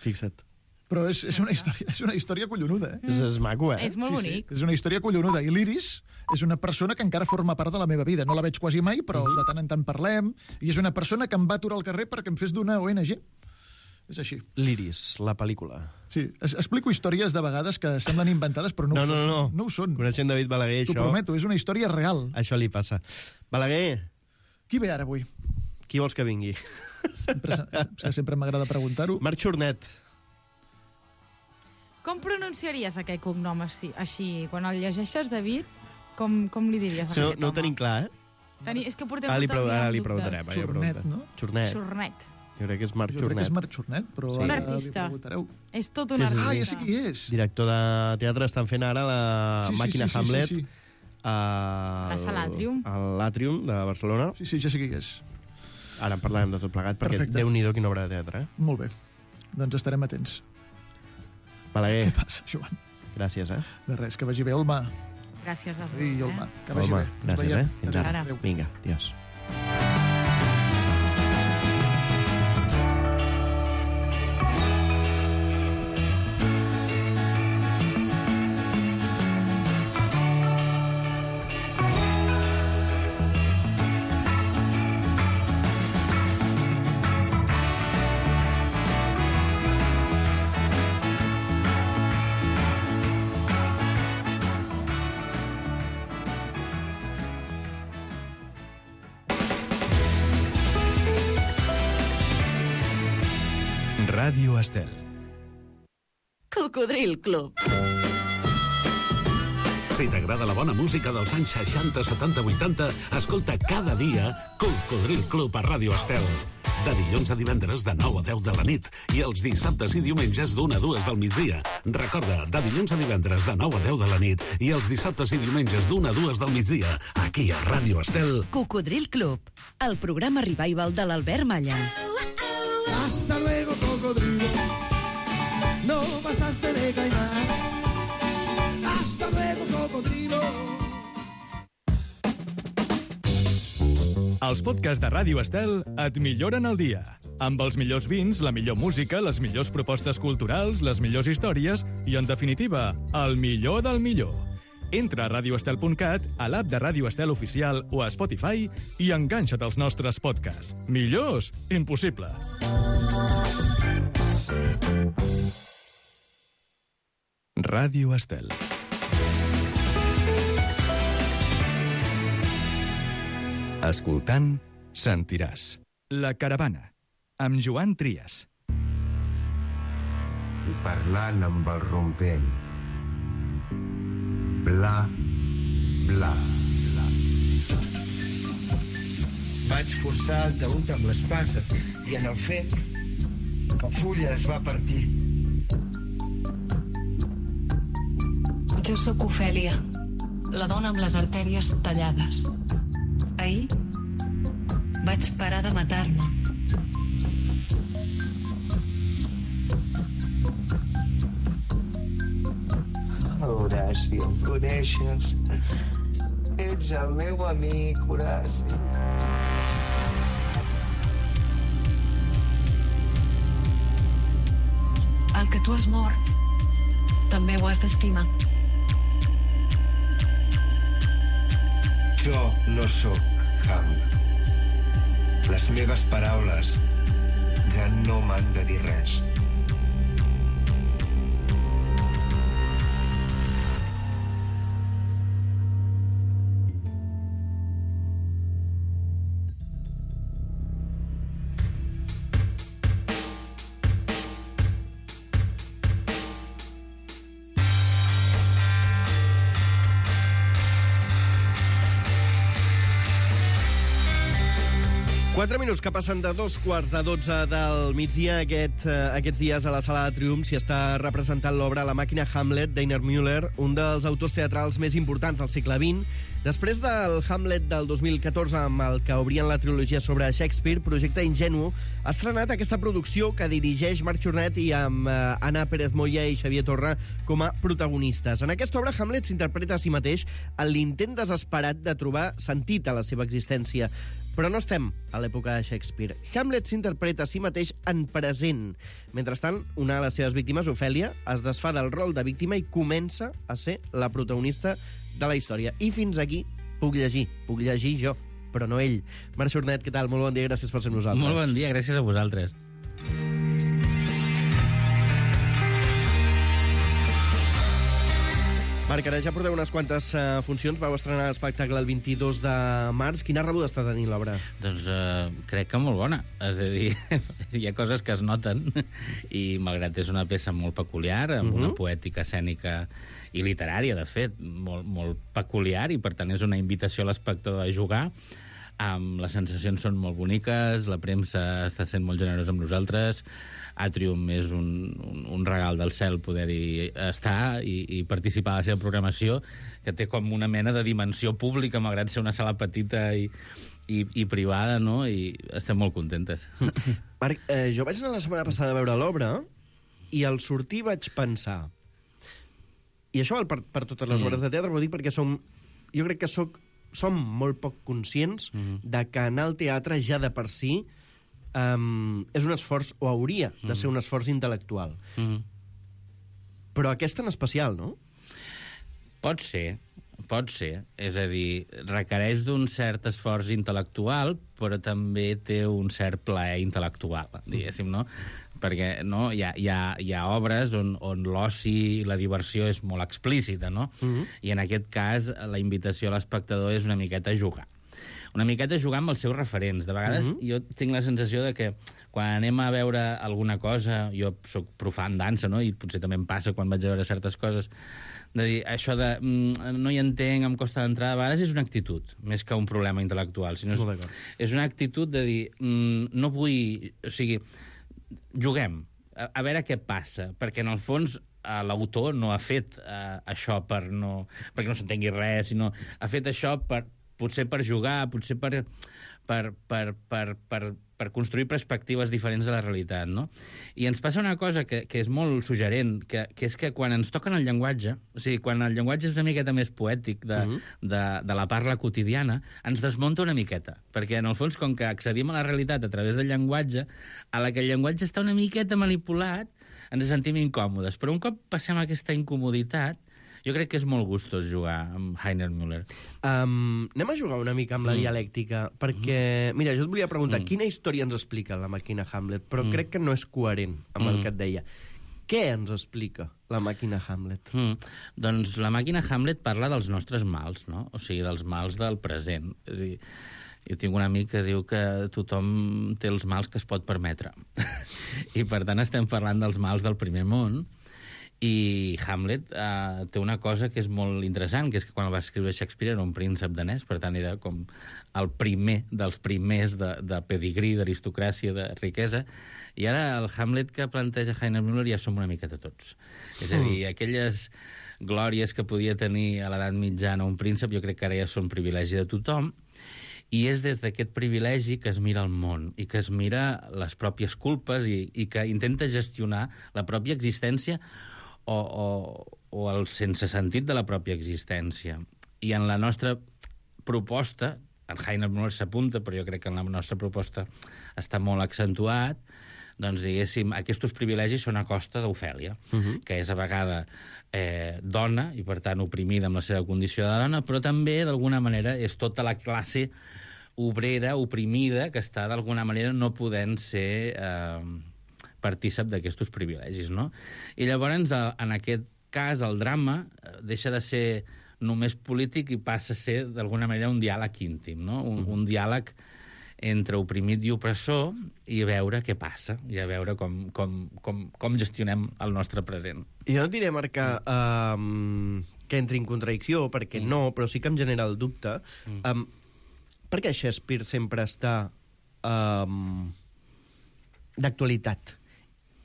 Fixa't. Però és una història collonuda. És maco, És molt bonic. És una història collonuda. I l'Iris és una persona que encara forma part de la meva vida. No la veig quasi mai, però de tant en tant parlem. I és una persona que em va aturar al carrer perquè em fes d'una ONG. És així. L'Iris, la pel·lícula. Sí, explico històries de vegades que semblen inventades, però no ho són. No ho són. Coneixent David Balaguer, això... T'ho prometo, és una història real. Això li passa. Balaguer. Qui ve ara avui? Qui vols que vingui? Sempre m'agrada preguntar-ho. Marc Xornet. Com pronunciaries aquest cognom així? Quan el llegeixes, David, com li diries a aquest home? No ho tenim clar, És que portem ara li tot el dia amb preguntarem. dubtes. Xornet, no? Xornet. Jo crec que és Marc Jo crec que Xornet. és Marc Xornet, però Un ara artista. li preguntareu. És tot un artista. Ja sé qui és. Director de teatre, estan fent ara la màquina Hamlet La sala Atrium. a l'Atrium de Barcelona. Sí, ja sé qui és. Ara en parlarem de tot plegat, perquè Perfecte. Déu-n'hi-do quina obra de teatre. Molt bé. Doncs estarem atents. Balaguer. Què passa, Joan? Gràcies, De res, que vagi bé, Olma. Gràcies a tu. I Olma, que vagi Olma, bé. Ens gràcies, veiem. Fins ara. Adéu. Vinga, adiós. Ràdio Estel. Cocodril Club. Si t'agrada la bona música dels anys 60, 70, 80, escolta cada dia Cocodril Club a Ràdio Estel. De dilluns a divendres de 9 a 10 de la nit i els dissabtes i diumenges d'1 a 2 del migdia. Recorda, de dilluns a divendres de 9 a 10 de la nit i els dissabtes i diumenges d'1 a 2 del migdia, aquí a Ràdio Estel. Cocodril Club, el programa revival de l'Albert Malla. Hasta luego, cocodrilo. No pasaste de caimán. Hasta luego, cocodrilo. Els podcasts de Ràdio Estel et milloren el dia. Amb els millors vins, la millor música, les millors propostes culturals, les millors històries i, en definitiva, el millor del millor. Entra a radioestel.cat, a l'app de Ràdio Estel Oficial o a Spotify i enganxa't als nostres podcasts. Millors? Impossible. Ràdio Estel. Escoltant, sentiràs. La caravana, amb Joan Trias. I parlant amb el rompent. Bla, bla, bla. Vaig forçar el taüt amb l'espasa i en el fet la fulla es va partir. Jo sóc Ofèlia, la dona amb les artèries tallades. Ahir vaig parar de matar-me. Horaci, em coneixes? Ets el meu amic, Horaci. El que tu has mort també ho has d'estimar. Jo no sóc Ham. Les meves paraules ja no m'han de dir res. 4 minuts que passen de 2:45 del migdia. Aquests dies a la Sala de Triomf s'hi està representant l'obra La màquina Hamlet d'Einar Müller, un dels autors teatrals més importants del segle XX. Després del Hamlet del 2014, amb el que obrien la trilogia sobre Shakespeare, Projecte Ingenu ha estrenat aquesta producció que dirigeix Marc Jornet i amb Anna Pérez Moya i Xavier Torra com a protagonistes. En aquesta obra, Hamlet s'interpreta a si mateix en l'intent desesperat de trobar sentit a la seva existència. Però no estem a l'època de Shakespeare. Hamlet s'interpreta a si mateix en present. Mentrestant, una de les seves víctimes, Ofèlia, es desfà del rol de víctima i comença a ser la protagonista de la història. I fins aquí puc llegir jo, però no ell. Marc Jornet, què tal? Molt bon dia, gràcies per ser amb nosaltres. Molt bon dia, gràcies a vosaltres. Marc, ara ja porteu unes quantes funcions. Vau estrenar l'espectacle el 22 de març. Quina rebuda està tenint l'obra? Doncs crec que molt bona. És a dir, hi ha coses que es noten i, malgrat és una peça molt peculiar, amb una poètica escènica i literària, de fet, molt peculiar, i per tant és una invitació a l'espectador a jugar. Les sensacions són molt boniques, la premsa està sent molt generosa amb nosaltres, Atrium és un regal del cel poder-hi estar i participar a la seva programació, que té com una mena de dimensió pública, malgrat ser una sala petita i privada, no? I estem molt contentes. Marc, jo vaig anar la setmana passada a veure l'obra i al sortir vaig pensar, i això val per totes les obres de teatre, però dic perquè jo crec que som molt poc conscients de que anar al teatre ja de per si és un esforç, o hauria de ser un esforç intel·lectual. Però aquest en especial, no? Pot ser. És a dir, requereix d'un cert esforç intel·lectual, però també té un cert plaer intel·lectual, diguéssim, no? Perquè no, hi ha obres on l'oci i la diversió és molt explícita, no? I en aquest cas la invitació a l'espectador és una miqueta a jugar. Una miqueta a jugar amb els seus referents. De vegades jo tinc la sensació de que quan anem a veure alguna cosa, jo soc profà en dansa, no? I potser també em passa quan vaig a veure certes coses, de dir, això de no hi entenc, em costa d'entrar, a vegades és una actitud, més que un problema intel·lectual. Sinó és una actitud de dir, no vull... O sigui, juguem, a veure què passa, perquè en el fons l'autor no ha fet això perquè no s'entengui res, sinó ha fet això potser per jugar, potser per construir perspectives diferents de la realitat, no? I ens passa una cosa que és molt suggerent, que és que quan ens toquen el llenguatge, o sigui, quan el llenguatge és una miqueta més poètic de la parla quotidiana, ens desmunta una miqueta, perquè en el fons, com que accedim a la realitat a través del llenguatge, a la que el llenguatge està una miqueta manipulat, ens sentim incòmodes. Però un cop passem aquesta incomoditat, jo crec que és molt gustós jugar amb Einar Müller. Anem a jugar una mica amb la dialèctica, perquè, mira, jo et volia preguntar, quina història ens explica la màquina Hamlet? Però crec que no és coherent amb el que et deia. Què ens explica la màquina Hamlet? Doncs la màquina Hamlet parla dels nostres mals, no? O sigui, dels mals del present. És a dir, jo tinc un amic que diu que tothom té els mals que es pot permetre. I, per tant, estem parlant dels mals del primer món. I Hamlet té una cosa que és molt interessant, que és que quan el va escriure Shakespeare era un príncep danès, per tant era com el primer dels primers de pedigrí, d'aristocràcia, de riquesa, i ara el Hamlet que planteja Einar Müller ja som una miqueta tots. És a dir, aquelles glòries que podia tenir a l'edat mitjana un príncep, jo crec que ara ja són privilegi de tothom, i és des d'aquest privilegi que es mira el món i que es mira les pròpies culpes i que intenta gestionar la pròpia existència o el sense sentit de la pròpia existència. I en la nostra proposta, en Einar Müller s'apunta, però jo crec que en la nostra proposta està molt accentuat, doncs, diguéssim, aquests privilegis són a costa d'Ofèlia, que és a vegada dona, i per tant oprimida amb la seva condició de dona, però també, d'alguna manera, és tota la classe obrera, oprimida, que està, d'alguna manera, no podent ser partícip d'aquests privilegis, no? I llavors, en aquest cas, el drama deixa de ser només polític i passa a ser, d'alguna manera, un diàleg íntim, no? Un diàleg entre oprimit i opressor i a veure què passa, i a veure com gestionem el nostre present. Jo no diré, Marc, que entri en contradicció, perquè no, però sí que em genera el dubte. Per què Shakespeare sempre està d'actualitat.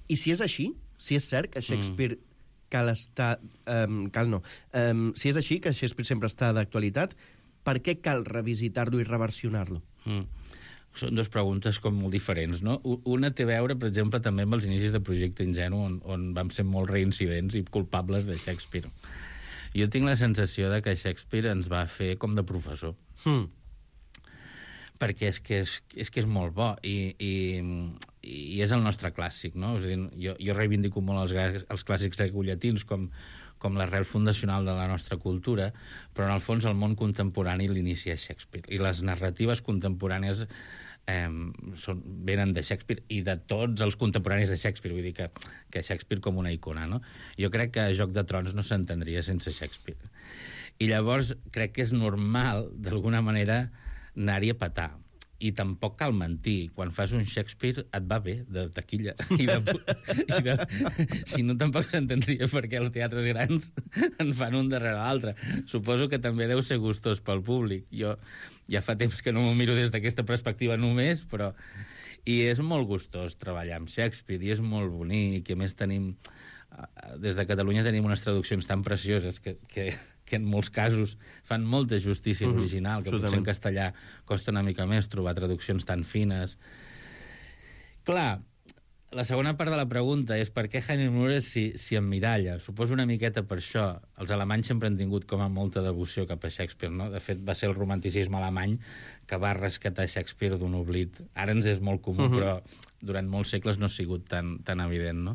I si és així, si és cert que Shakespeare cal estar... si és així, que Shakespeare sempre està d'actualitat, per què cal revisitar-lo i reversionar-lo? Són dues preguntes com molt diferents, no? Una té a veure, per exemple, també amb els inicis de Projecte Ingenu, on vam ser molt reincidents i culpables de Shakespeare. Jo tinc la sensació de que Shakespeare ens va fer com de professor. Perquè és que és molt bo i és el nostre clàssic, no? És a dir, jo reivindico molt els clàssics grecollatins com l'arrel fundacional de la nostra cultura, però en el fons el món contemporani l'inicia Shakespeare. I les narratives contemporànies venen de Shakespeare i de tots els contemporanis de Shakespeare, vull dir que Shakespeare com una icona, no? Jo crec que Joc de Trons no s'entendria sense Shakespeare. I llavors crec que és normal, d'alguna manera, anar-hi a petar. I tampoc cal mentir. Quan fas un Shakespeare et va bé, de taquilla. Si no, tampoc s'entendria perquè els teatres grans en fan un darrere l'altre. Suposo que també deu ser gustós pel públic. Jo ja fa temps que no m'ho miro des d'aquesta perspectiva només, però... I és molt gustós treballar amb Shakespeare, i és molt bonic, i a més tenim... Des de Catalunya tenim unes traduccions tan precioses que en molts casos fan molta justícia original, que potser en castellà costa una mica més trobar traduccions tan fines. Clar, la segona part de la pregunta és per què Heinrich Müller s'hi emmiralla. Suposo una miqueta per això. Els alemanys sempre han tingut com a molta devoció cap a Shakespeare, no? De fet, va ser el romanticisme alemany que va rescatar Shakespeare d'un oblit. Ara ens és molt comú, però durant molts segles no ha sigut tan evident, no?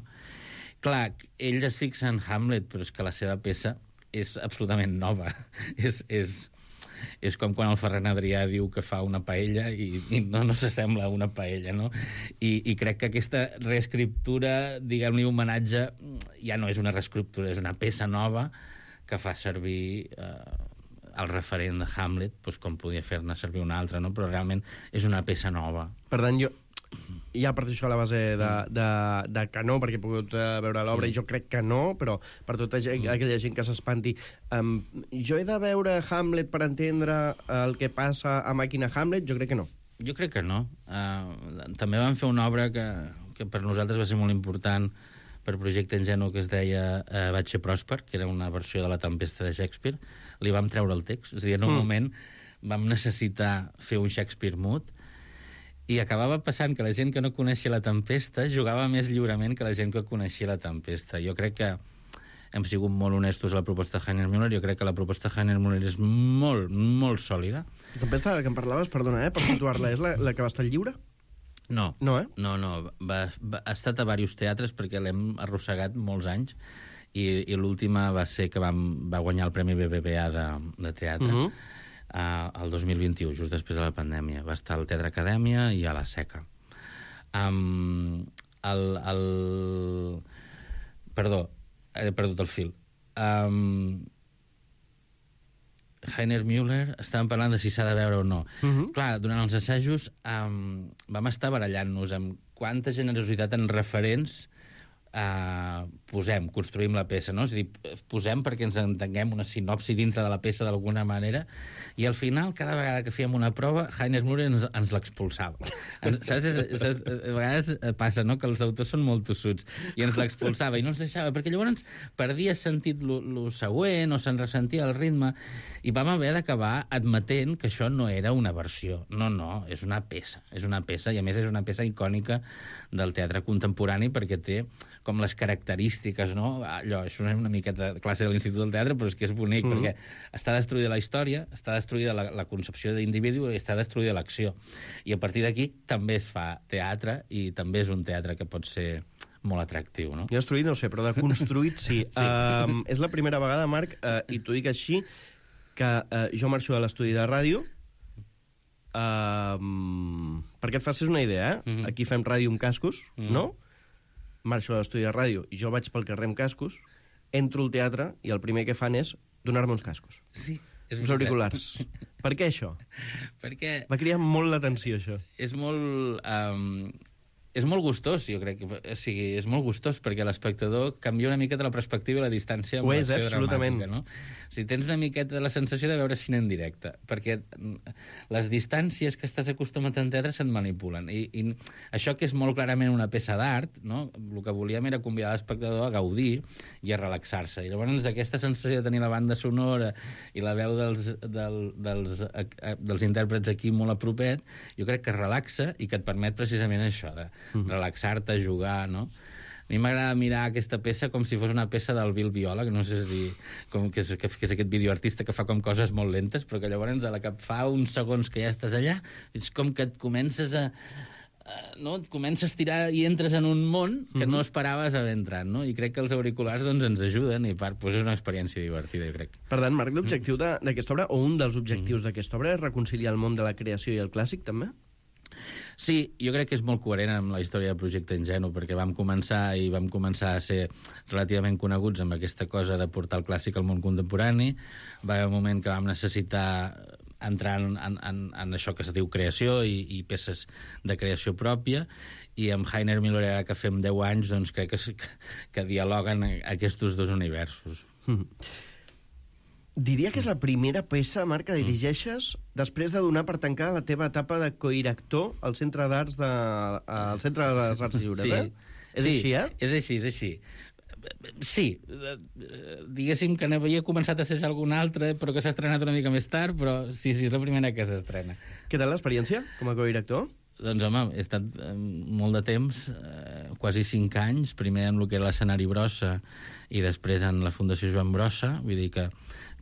Clar, ell es fixa en Hamlet, però és que la seva peça és absolutament nova. És com quan el Ferran Adrià diu que fa una paella i no s'assembla a una paella, no? I crec que aquesta reescriptura, diguem-li homenatge, ja no és una reescriptura, és una peça nova que fa servir el referent de Hamlet, doncs com podia fer-ne servir una altra, no? Però realment és una peça nova. Per tant, ja parteixo això a la base de que no, perquè he pogut veure l'obra, i jo crec que no, però per tota aquella gent que s'espanti, jo he de veure Hamlet per entendre el que passa a Màquina Hamlet? Jo crec que no. Jo crec que no. També van fer una obra que per nosaltres va ser molt important per Projecte Ingenu, que es deia Vaig ser pròsper, que era una versió de La tempesta de Shakespeare. Li vam treure el text. És a dir, en un moment vam necessitar fer un Shakespeare mut, i acabava passant que la gent que no coneixia La tempesta jugava més lliurement que la gent que coneixia La tempesta. Jo crec que hem sigut molt honestos a la proposta de Heinrich Müller. Jo crec que la proposta de Heinrich Müller és molt, molt sòlida. La tempesta de la que em parlaves, perdona, per situar-la, és la que va estar lliure? No. No, No. Ha estat a diversos teatres perquè l'hem arrossegat molts anys, i l'última va ser que va guanyar el Premi BBVA de teatre. El 2021, just després de la pandèmia. Va estar al Teatre Acadèmia i a la Seca. Perdó, he perdut el fil. Heinrich Müller, estàvem parlant de si s'ha de veure o no. Clar, durant els assajos vam estar barallant-nos amb quanta generositat en referents construïm la peça, no? És a dir, posem perquè ens entenguem una sinopsi dintre de la peça d'alguna manera, i al final, cada vegada que fèiem una prova, Heinrich Müller ens l'expulsava. Saps? A vegades passa, no?, que els autors són molt tossuts, i ens l'expulsava, i no ens deixava, perquè llavors perdia sentit lo següent, o se'n ressentia el ritme, i vam haver d'acabar admetent que això no era una versió. No, és una peça, i a més és una peça icònica del teatre contemporani, perquè té com les característiques, no? Allò, això és una miqueta de classe de l'Institut del Teatre, però és que és bonic, perquè està destruïda la història, està destruïda la concepció d'individu i està destruïda l'acció. I a partir d'aquí també es fa teatre, i també és un teatre que pot ser molt atractiu, no? Jo destruït no sé, però de construït sí. És la primera vegada, Marc, i t'ho dic així, que jo marxo de l'estudi de ràdio, perquè et facis una idea, aquí fem ràdio amb cascos, no? Marxo a l'estudi de ràdio i jo vaig pel carrer amb cascos, entro al teatre i el primer que fan és donar-me uns cascos. Sí. Uns auriculars. Per què això? Perquè... Va cridar molt l'atenció, això. És molt... és molt gustós, jo crec. O sigui, és molt gustós, perquè l'espectador canvia una miqueta la perspectiva i la distància amb l'acció dramàtica, no? O sigui, tens una miqueta la sensació de veure cine en directe, perquè les distàncies que estàs acostumat en teatre se't manipulen. I això, que és molt clarament una peça d'art, no? El que volíem era convidar l'espectador a gaudir i a relaxar-se. I llavors aquesta sensació de tenir la banda sonora i la veu dels intèrprets aquí molt a propet, jo crec que relaxa i que et permet precisament això, de relaxar-te, jugar, no? A mi m'agrada mirar aquesta peça com si fos una peça del Bill Viola, que no sé si que és aquest videoartista que fa com coses molt lentes, però que llavors a la que fa uns segons que ja estàs allà, és com que et comences a tirar i entres en un món que no esperaves haver entrat, no? I crec que els auriculars doncs, ens ajuden, i part, doncs és una experiència divertida, jo crec. Per tant, Marc, l'objectiu d'aquesta obra, o un dels objectius d'aquesta obra, és reconciliar el món de la creació i el clàssic, també? Sí, jo crec que és molt coherent amb la història del projecte Ingenu, perquè vam començar a ser relativament coneguts amb aquesta cosa de portar el clàssic al món contemporani. Va haver un moment que vam necessitar entrar en això que es diu creació i peces de creació pròpia, i amb Heiner Müller, ara que fem 10 anys, doncs crec que dialoguen aquests dos universos. Diria que és la primera peça, Marc, que dirigeixes després de donar per tancada la teva etapa de codirector al Centre d'Arts al Centre de les Arts Lliures, eh? És així, eh? És així. Sí, diguéssim que n'havia començat a assajar alguna altra, però que s'ha estrenat una mica més tard, però sí, és la primera que s'estrena. Què tal l'experiència com a codirector? Doncs, home, he estat molt de temps, quasi 5 anys, primer en el que era l'Escenari Brossa i després en la Fundació Joan Brossa, vull dir que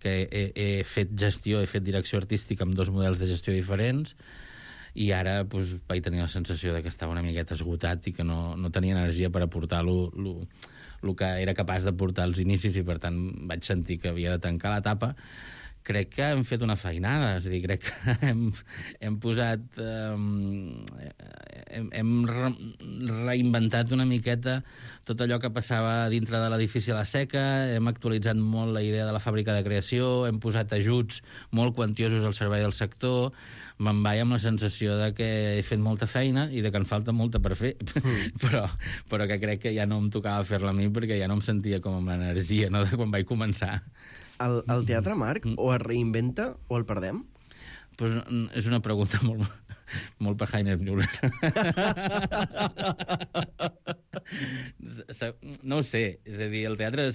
he fet gestió, he fet direcció artística amb 2 models de gestió diferents, i ara doncs, vaig tenir la sensació de que estava una miqueta esgotat i que no tenia energia per aportar el que era capaç de portar als inicis, i per tant vaig sentir que havia de tancar l'etapa. Crec que hem fet una feinada, és a dir, crec que hem posat... hem reinventat una miqueta tot allò que passava dintre de l'edifici a la Seca, hem actualitzat molt la idea de la fàbrica de creació, hem posat ajuts molt quantiosos al servei del sector, me'n vaig amb la sensació de que he fet molta feina i de que en falta molta per fer, però que crec que ja no em tocava fer-la a mi, perquè ja no em sentia com amb l'energia, no?, de quan vaig començar. El teatre, Marc, o es reinventa o el perdem? Pues és una pregunta molt per Heiner Müller. No ho sé, és a dir, el teatre...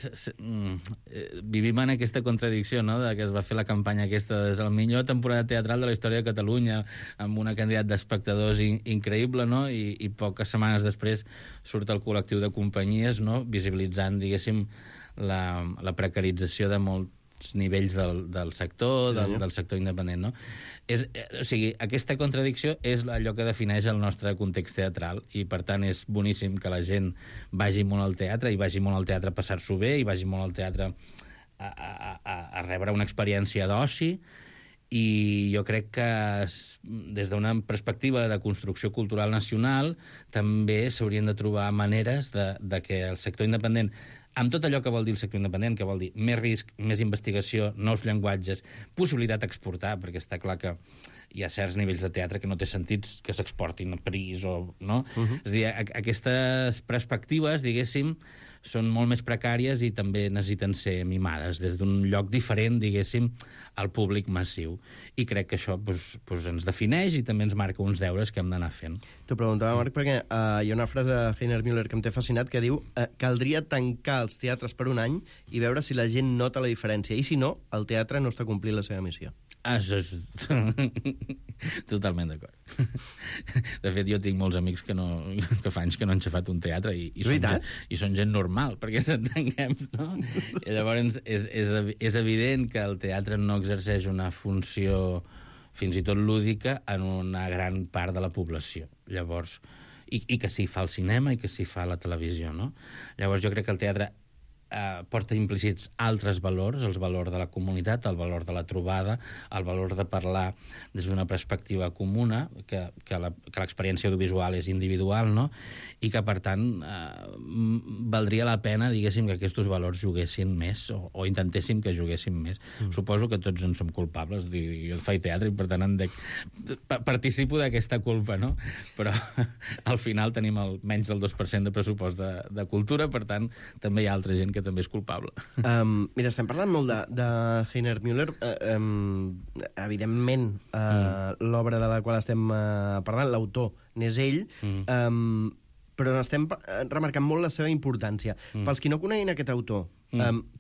Vivim en aquesta contradicció, no?, de que es va fer la campanya aquesta de la millor temporada teatral de la història de Catalunya, amb una quantitat d'espectadors increïble, no?, i poques setmanes després surt el col·lectiu de companyies, no?, visibilitzant, diguéssim, la precarització de molts nivells del sector, del sector independent, no? O sigui, aquesta contradicció és allò que defineix el nostre context teatral, i per tant és boníssim que la gent vagi molt al teatre, i vagi molt al teatre a passar-s'ho bé, i vagi molt al teatre a rebre una experiència d'oci, i jo crec que des d'una perspectiva de construcció cultural nacional també s'haurien de trobar maneres de que el sector independent, amb tot allò que vol dir el sector independent, que vol dir més risc, més investigació, nous llenguatges, possibilitat d'exportar, perquè està clar que hi ha certs nivells de teatre que no té sentit que s'exportin a París, no? És a dir, aquestes perspectives, diguéssim, són molt més precàries i també necessiten ser mimades des d'un lloc diferent, diguéssim, al públic massiu. I crec que això ens defineix i també ens marca uns deures que hem d'anar fent. T'ho preguntava, Marc, perquè hi ha una frase de Heiner Müller que em té fascinat que diu caldria tancar els teatres per un any i veure si la gent nota la diferència, i si no, el teatre no està complint la seva missió. Això és... Totalment d'acord. De fet, jo tinc molts amics que fa anys que no han xafat un teatre i són gent normal, perquè s'entenguem, no? I llavors és evident que el teatre no exerceix una funció fins i tot lúdica en una gran part de la població. Llavors, i que s'hi fa el cinema i que s'hi fa la televisió, no? Llavors jo crec que el teatre porta implícits altres valors, el valor de la comunitat, el valor de la trobada, el valor de parlar des d'una perspectiva comuna, que l'experiència audiovisual és individual, no? I que, per tant, valdria la pena, diguéssim, que aquests valors juguessin més, o intentéssim que juguessin més. Suposo que tots en som culpables, jo faig teatre i, per tant, participo d'aquesta culpa, no? Però al final tenim menys del 2% de pressupost de cultura, per tant, també hi ha altra gent que també és culpable. Mira, estem parlant molt de Heiner Müller. Evidentment, l'obra de la qual estem parlant, l'autor n'és ell, però estem remarcant molt la seva importància. Pels qui no coneguin aquest autor,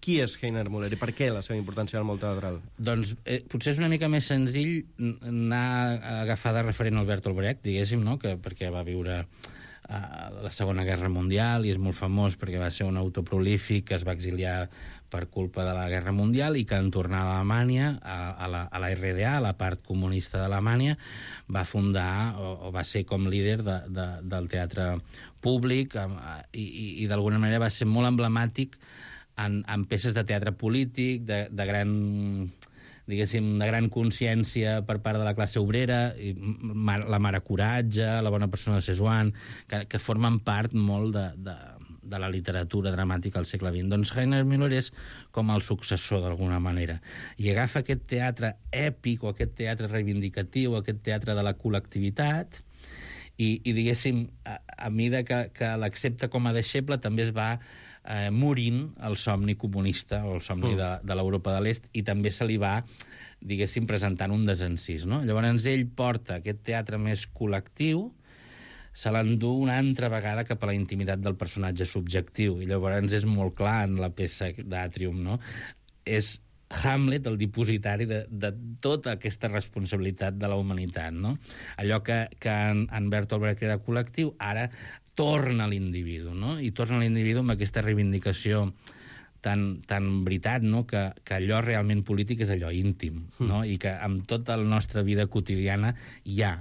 qui és Heiner Müller i per què la seva importància al món teatral? Doncs potser és una mica més senzill anar a agafar de referent al Bertolt Brecht, diguéssim, no? Perquè va viure la Segona Guerra Mundial i és molt famós perquè va ser un autor prolífic que es va exiliar per culpa de la Guerra Mundial i que en tornar a Alemanya, a la RDA, a la part comunista d'Alemanya, va fundar o va ser com líder del teatre públic i d'alguna manera va ser molt emblemàtic en peces de teatre polític, de gran, diguéssim, de gran consciència per part de la classe obrera, la Mare Coratge, la Bona persona de Szechuan, que formen part molt de la literatura dramàtica al segle XX. Doncs Heiner Müller és com el successor, d'alguna manera. I agafa aquest teatre èpic, o aquest teatre reivindicatiu, o aquest teatre de la col·lectivitat, i diguéssim, a mida que l'accepta com a deixeble, també es va morint el somni comunista o el somni de l'Europa de l'Est i també se li va, diguéssim, presentant un desencís, no? Llavors ell porta aquest teatre més col·lectiu, se l'endú una altra vegada cap a la intimitat del personatge subjectiu i llavors és molt clar en la peça d'Atrium, no? És Hamlet el dipositari de tota aquesta responsabilitat de la humanitat, no? Allò que en Bertolt Brecht era col·lectiu, ara torna a l'individu, no? I torna a l'individu amb aquesta reivindicació tan veritat, no? Que allò realment polític és allò íntim, no? I que amb tota la nostra vida quotidiana hi ha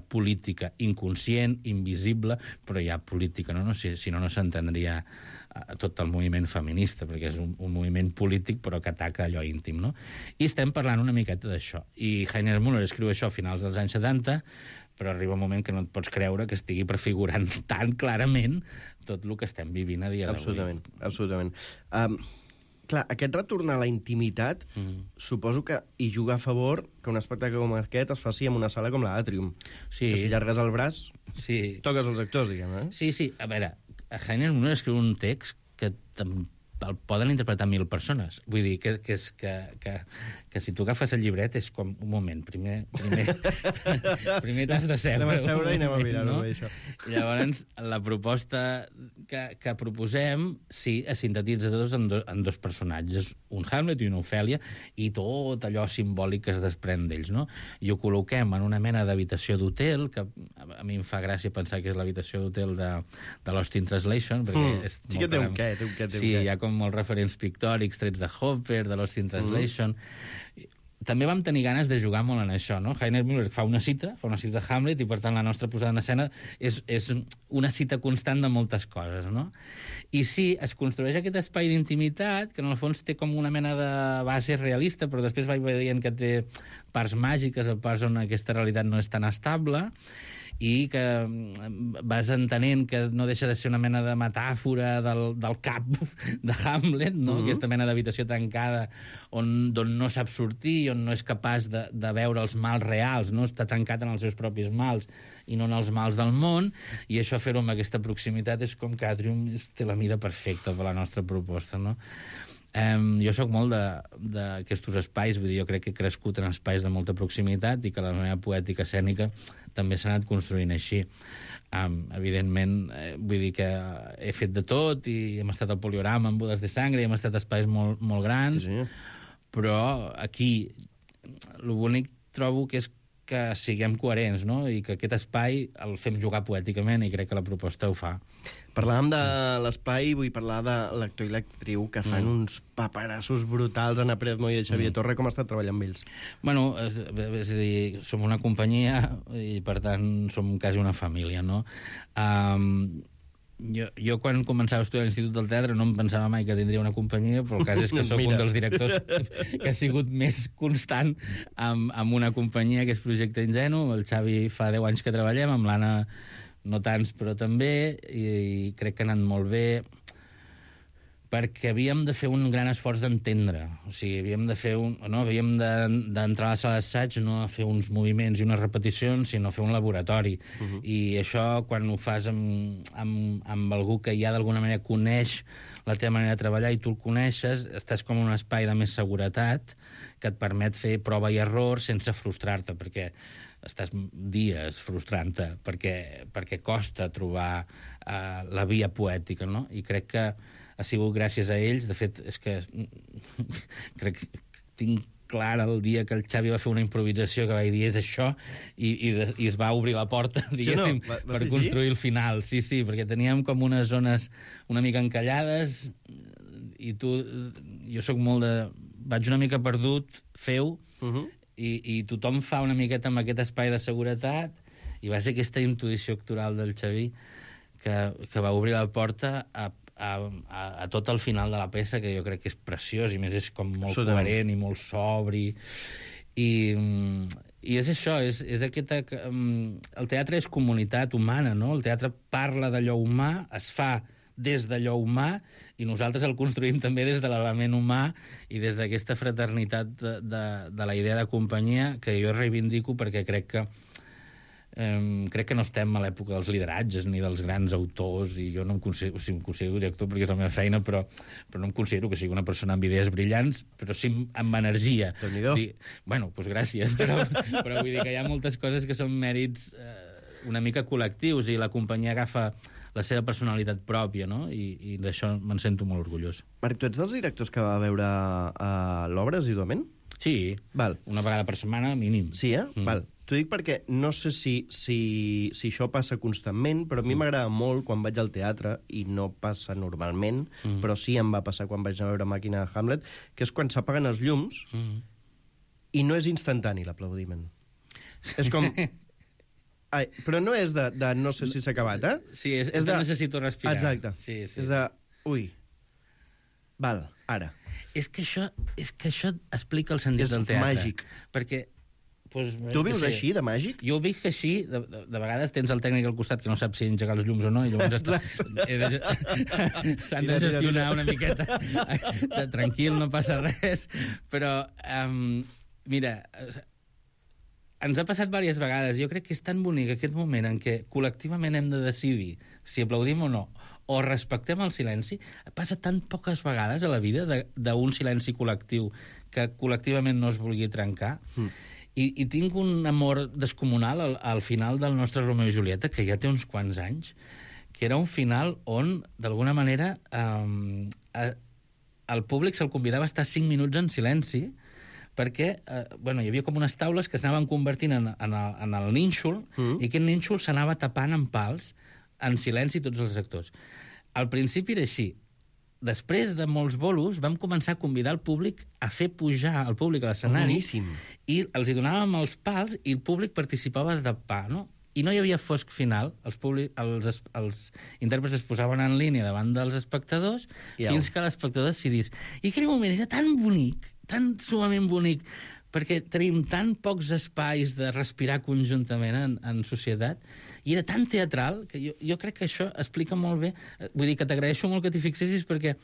política inconscient, invisible, però hi ha política, no? Si no, no s'entendria tot el moviment feminista, perquè és un moviment polític però que ataca allò íntim, no? I estem parlant una miqueta d'això. I Heiner Müller escriu això a finals dels anys 70, però arriba un moment que no et pots creure que estigui prefigurant tan clarament tot el que estem vivint a dia d'avui. Absolutament. Clar, aquest retorn a la intimitat suposo que hi juga a favor que un espectacle com aquest es faci en una sala com l'Atrium. Sí. Que si llargues el braç, toques els actors, diguem, eh? Sí. A veure, Heiner Müller escriu un text que el poden interpretar 1000 persones. Vull dir que si tu agafes el llibret és com, un moment, primer t'has de seure. Anem a seure i anem a mirar, no? Això. Llavors, la proposta que proposem, sí, es sintetitza tots en dos personatges, un Hamlet i una Ofèlia, i tot allò simbòlic que es desprèn d'ells, no? I ho col·loquem en una mena d'habitació d'hotel, que a mi em fa gràcia pensar que és l'habitació d'hotel de Lost in Translation, perquè sí que té un què. Sí, hi ha com molts referents pictòrics, trets de Hopper, de Lost in Translation. També vam tenir ganes de jugar molt en això, no? Heiner Müller fa una cita de Hamlet, i per tant la nostra posada en escena és una cita constant de moltes coses, no? I sí, es construeix aquest espai d'intimitat, que en el fons té com una mena de base realista, però després vaig veient que té parts màgiques, parts on aquesta realitat no és tan estable, i que vas entenent que no deixa de ser una mena de metàfora del cap de Hamlet, no? Aquesta mena d'habitació tancada d'on no sap sortir, on no és capaç de veure els mals reals, no? Està tancat en els seus propis mals i no en els mals del món, i això fer-ho amb aquesta proximitat és com que Atrium té la mida perfecta per la nostra proposta, no? Jo sóc molt d'aquests espais, vull dir, jo crec que he crescut en espais de molta proximitat i que la meva poètica escènica també s'ha anat construint així. Evidentment, vull dir que he fet de tot i hem estat al Poliorama amb Bodes de Sangre i hem estat a espais molt, molt grans, però aquí l'únic trobo que és que siguem coherents, no? I que aquest espai el fem jugar poèticament i crec que la proposta ho fa. Parlàvem de l'espai, vull parlar de l'actor i l'actriu que fan uns paperassos brutals, Anna Pérez Moya i Xavier Torre. Com ha estat treballar amb ells? Bueno, és a dir, som una companyia i per tant som quasi una família, no? Jo quan començava a estudiar a l'Institut del Teatre no em pensava mai que tindria una companyia, però el cas és que sóc un dels directors que ha sigut més constant amb una companyia que és Projecte Ingenu. El Xavi fa 10 anys que treballem, amb l'Anna no tants, però també, i crec que ha anat molt bé, perquè havíem de fer un gran esforç d'entendre. O sigui, havíem d'entrar a la sala d'assaig, no a fer uns moviments i unes repeticions, sinó a fer un laboratori. I això, quan ho fas amb algú que ja d'alguna manera coneix la teva manera de treballar i tu el coneixes, estàs com en un espai de més seguretat que et permet fer prova i error sense frustrar-te, perquè estàs dies frustrant-te, perquè costa trobar la via poètica, no? I crec que ha sigut gràcies a ells. De fet, és que crec que tinc clar el dia que el Xavi va fer una improvisació que vaig dir és això, i es va obrir la porta, diguéssim, per construir el final. Sí, perquè teníem com unes zones una mica encallades, i jo sóc molt de... Vaig una mica perdut, feu, i tothom fa una miqueta amb aquest espai de seguretat, i va ser aquesta intuïció actoral del Xavi que va obrir la porta a tot el final de la peça, que jo crec que és preciós, i més és com molt coherent i molt sobri, i és això, és aquesta... El teatre és comunitat humana, no? El teatre parla d'allò humà, es fa des d'allò humà, i nosaltres el construïm també des de l'element humà i des d'aquesta fraternitat de la idea de companyia, que jo reivindico perquè crec que no estem a l'època dels lideratges ni dels grans autors, i jo no em considero director perquè és la meva feina, però no em considero que sigui una persona amb idees brillants, però sí amb energia. Bueno, doncs gràcies, però vull dir que hi ha moltes coses que són mèrits una mica col·lectius, i la companyia agafa la seva personalitat pròpia, no? I d'això me'n sento molt orgullós. Marc, tu ets dels directors que va veure l'obra assiduament? Sí, una vegada per setmana mínim. Sí, Val. T'ho dic perquè no sé si això passa constantment, però a mi m'agrada molt quan vaig al teatre, i no passa normalment, però sí em va passar quan vaig anar a veure Màquina de Hamlet, que és quan s'apaguen els llums i no és instantani l'aplaudiment. És com... Ai, però no és de no sé si s'ha acabat, Sí, és de necessito respirar. Exacte. Sí. És de... Ui. Val, ara. És que això explica el sentit del teatre. És màgic. Perquè... Tu vius així, de màgic? Jo ho visc així. De vegades tens el tècnic al costat que no sap si engegar els llums o no, i llavors s'han de gestionar una miqueta. Tranquil, no passa res. Però, mira, ens ha passat diverses vegades. Jo crec que és tan bonic aquest moment en què col·lectivament hem de decidir si aplaudim o no, o respectem el silenci. Passa tan poques vegades a la vida d'un silenci col·lectiu que col·lectivament no es vulgui trencar. I tinc un amor descomunal al final del nostre Romeu i Julieta, que ja té uns quants anys, que era un final on, d'alguna manera, el públic se'l convidava a estar 5 minuts en silenci, perquè hi havia com unes taules que s'anaven convertint en el nínxol, i aquest nínxol s'anava tapant amb pals, en silenci, tots els actors. Al principi era així. Després de molts bolos, vam començar a convidar el públic a fer pujar el públic a l'escenari, i els hi donàvem els pals i el públic participava de tapar, no? I no hi havia fosc final. Els intèrprets es posaven en línia davant dels espectadors fins que l'espectador decidís. I aquell moment era tan bonic, tan sumament bonic, perquè tenim tan pocs espais de respirar conjuntament en societat, i era tan teatral, que jo crec que això explica molt bé. Vull dir que t'agraeixo molt que t'hi fixessis, perquè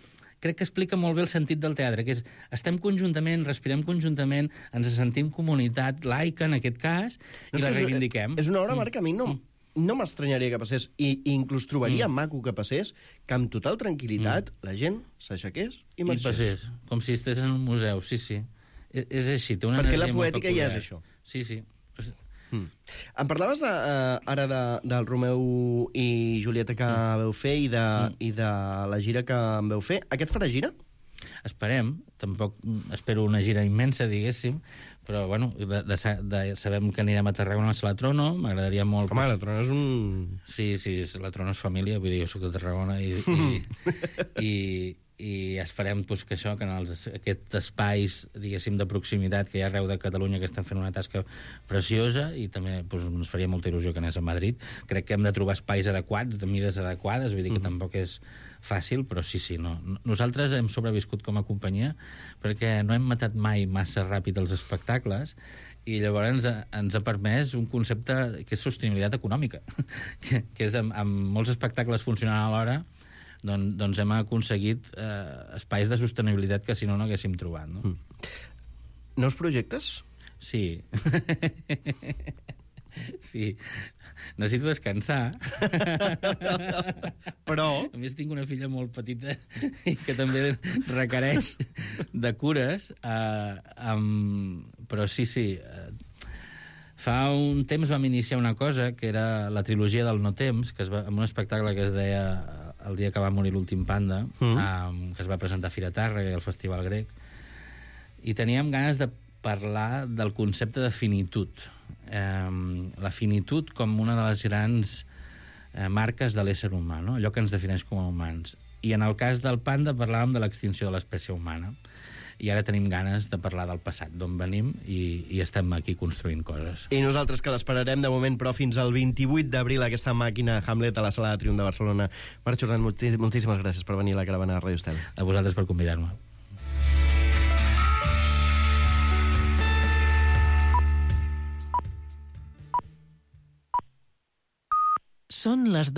crec que explica molt bé el sentit del teatre, que és estem conjuntament, respirem conjuntament, ens sentim comunitat laica, en aquest cas, i la reivindiquem. És una obra, Marc, a mi no m'estranyaria que passés, i inclús trobaria maco que passés, que amb total tranquil·litat la gent s'aixequés i marxés. I passés, com si estigués en un museu, sí. És així, té una energia molt peculiar. Perquè la poètica ja és això. Sí. Em parlaves ara del Romeu i Julieta que veu fer i de la gira que em veu fer. Aquest farà gira? Esperem. Tampoc espero una gira immensa, diguéssim, però, bueno, sabem que anirem a Tarragona a la Trono, m'agradaria molt... Com la Trono és un... Sí, la Trono és família, vull dir, jo soc de Tarragona, i esperem doncs, que això, que en aquests espais, diguéssim, de proximitat que hi ha arreu de Catalunya, que estan fent una tasca preciosa, i també doncs, ens faria molta il·lusió que anés a Madrid. Crec que hem de trobar espais adequats, de mides adequades, vull dir que tampoc és fàcil, però sí, no. Nosaltres hem sobreviscut com a companyia perquè no hem matat mai massa ràpid els espectacles, i llavors ens ha permès un concepte que és sostenibilitat econòmica, que és amb molts espectacles funcionant alhora, doncs hem aconseguit espais de sostenibilitat que si no haguéssim trobat. No? Nous projectes? Sí. Sí. Necessito descansar. Però... A més, tinc una filla molt petita i que també requereix de cures. Però sí. Fa un temps vam iniciar una cosa que era la trilogia del no temps, amb un espectacle que es deia El dia que va morir l'últim panda, que es va presentar a Fira Tàrrega i al Festival Grec. I teníem ganes de parlar del concepte de finitud. La finitud com una de les grans marques de l'ésser humà, no? Allò que ens defineix com a humans. I en el cas del panda parlàvem de l'extinció de l'espècie humana. I ara tenim ganes de parlar del passat, d'on venim, i estem aquí construint coses. I nosaltres que l'esperarem de moment, però fins al 28 d'abril, aquesta màquina Hamlet a la Sala de Triomf de Barcelona. Marc Jordan, moltíssimes gràcies per venir a la caravana de Ràdio Estel. A vosaltres per convidar-me. Són les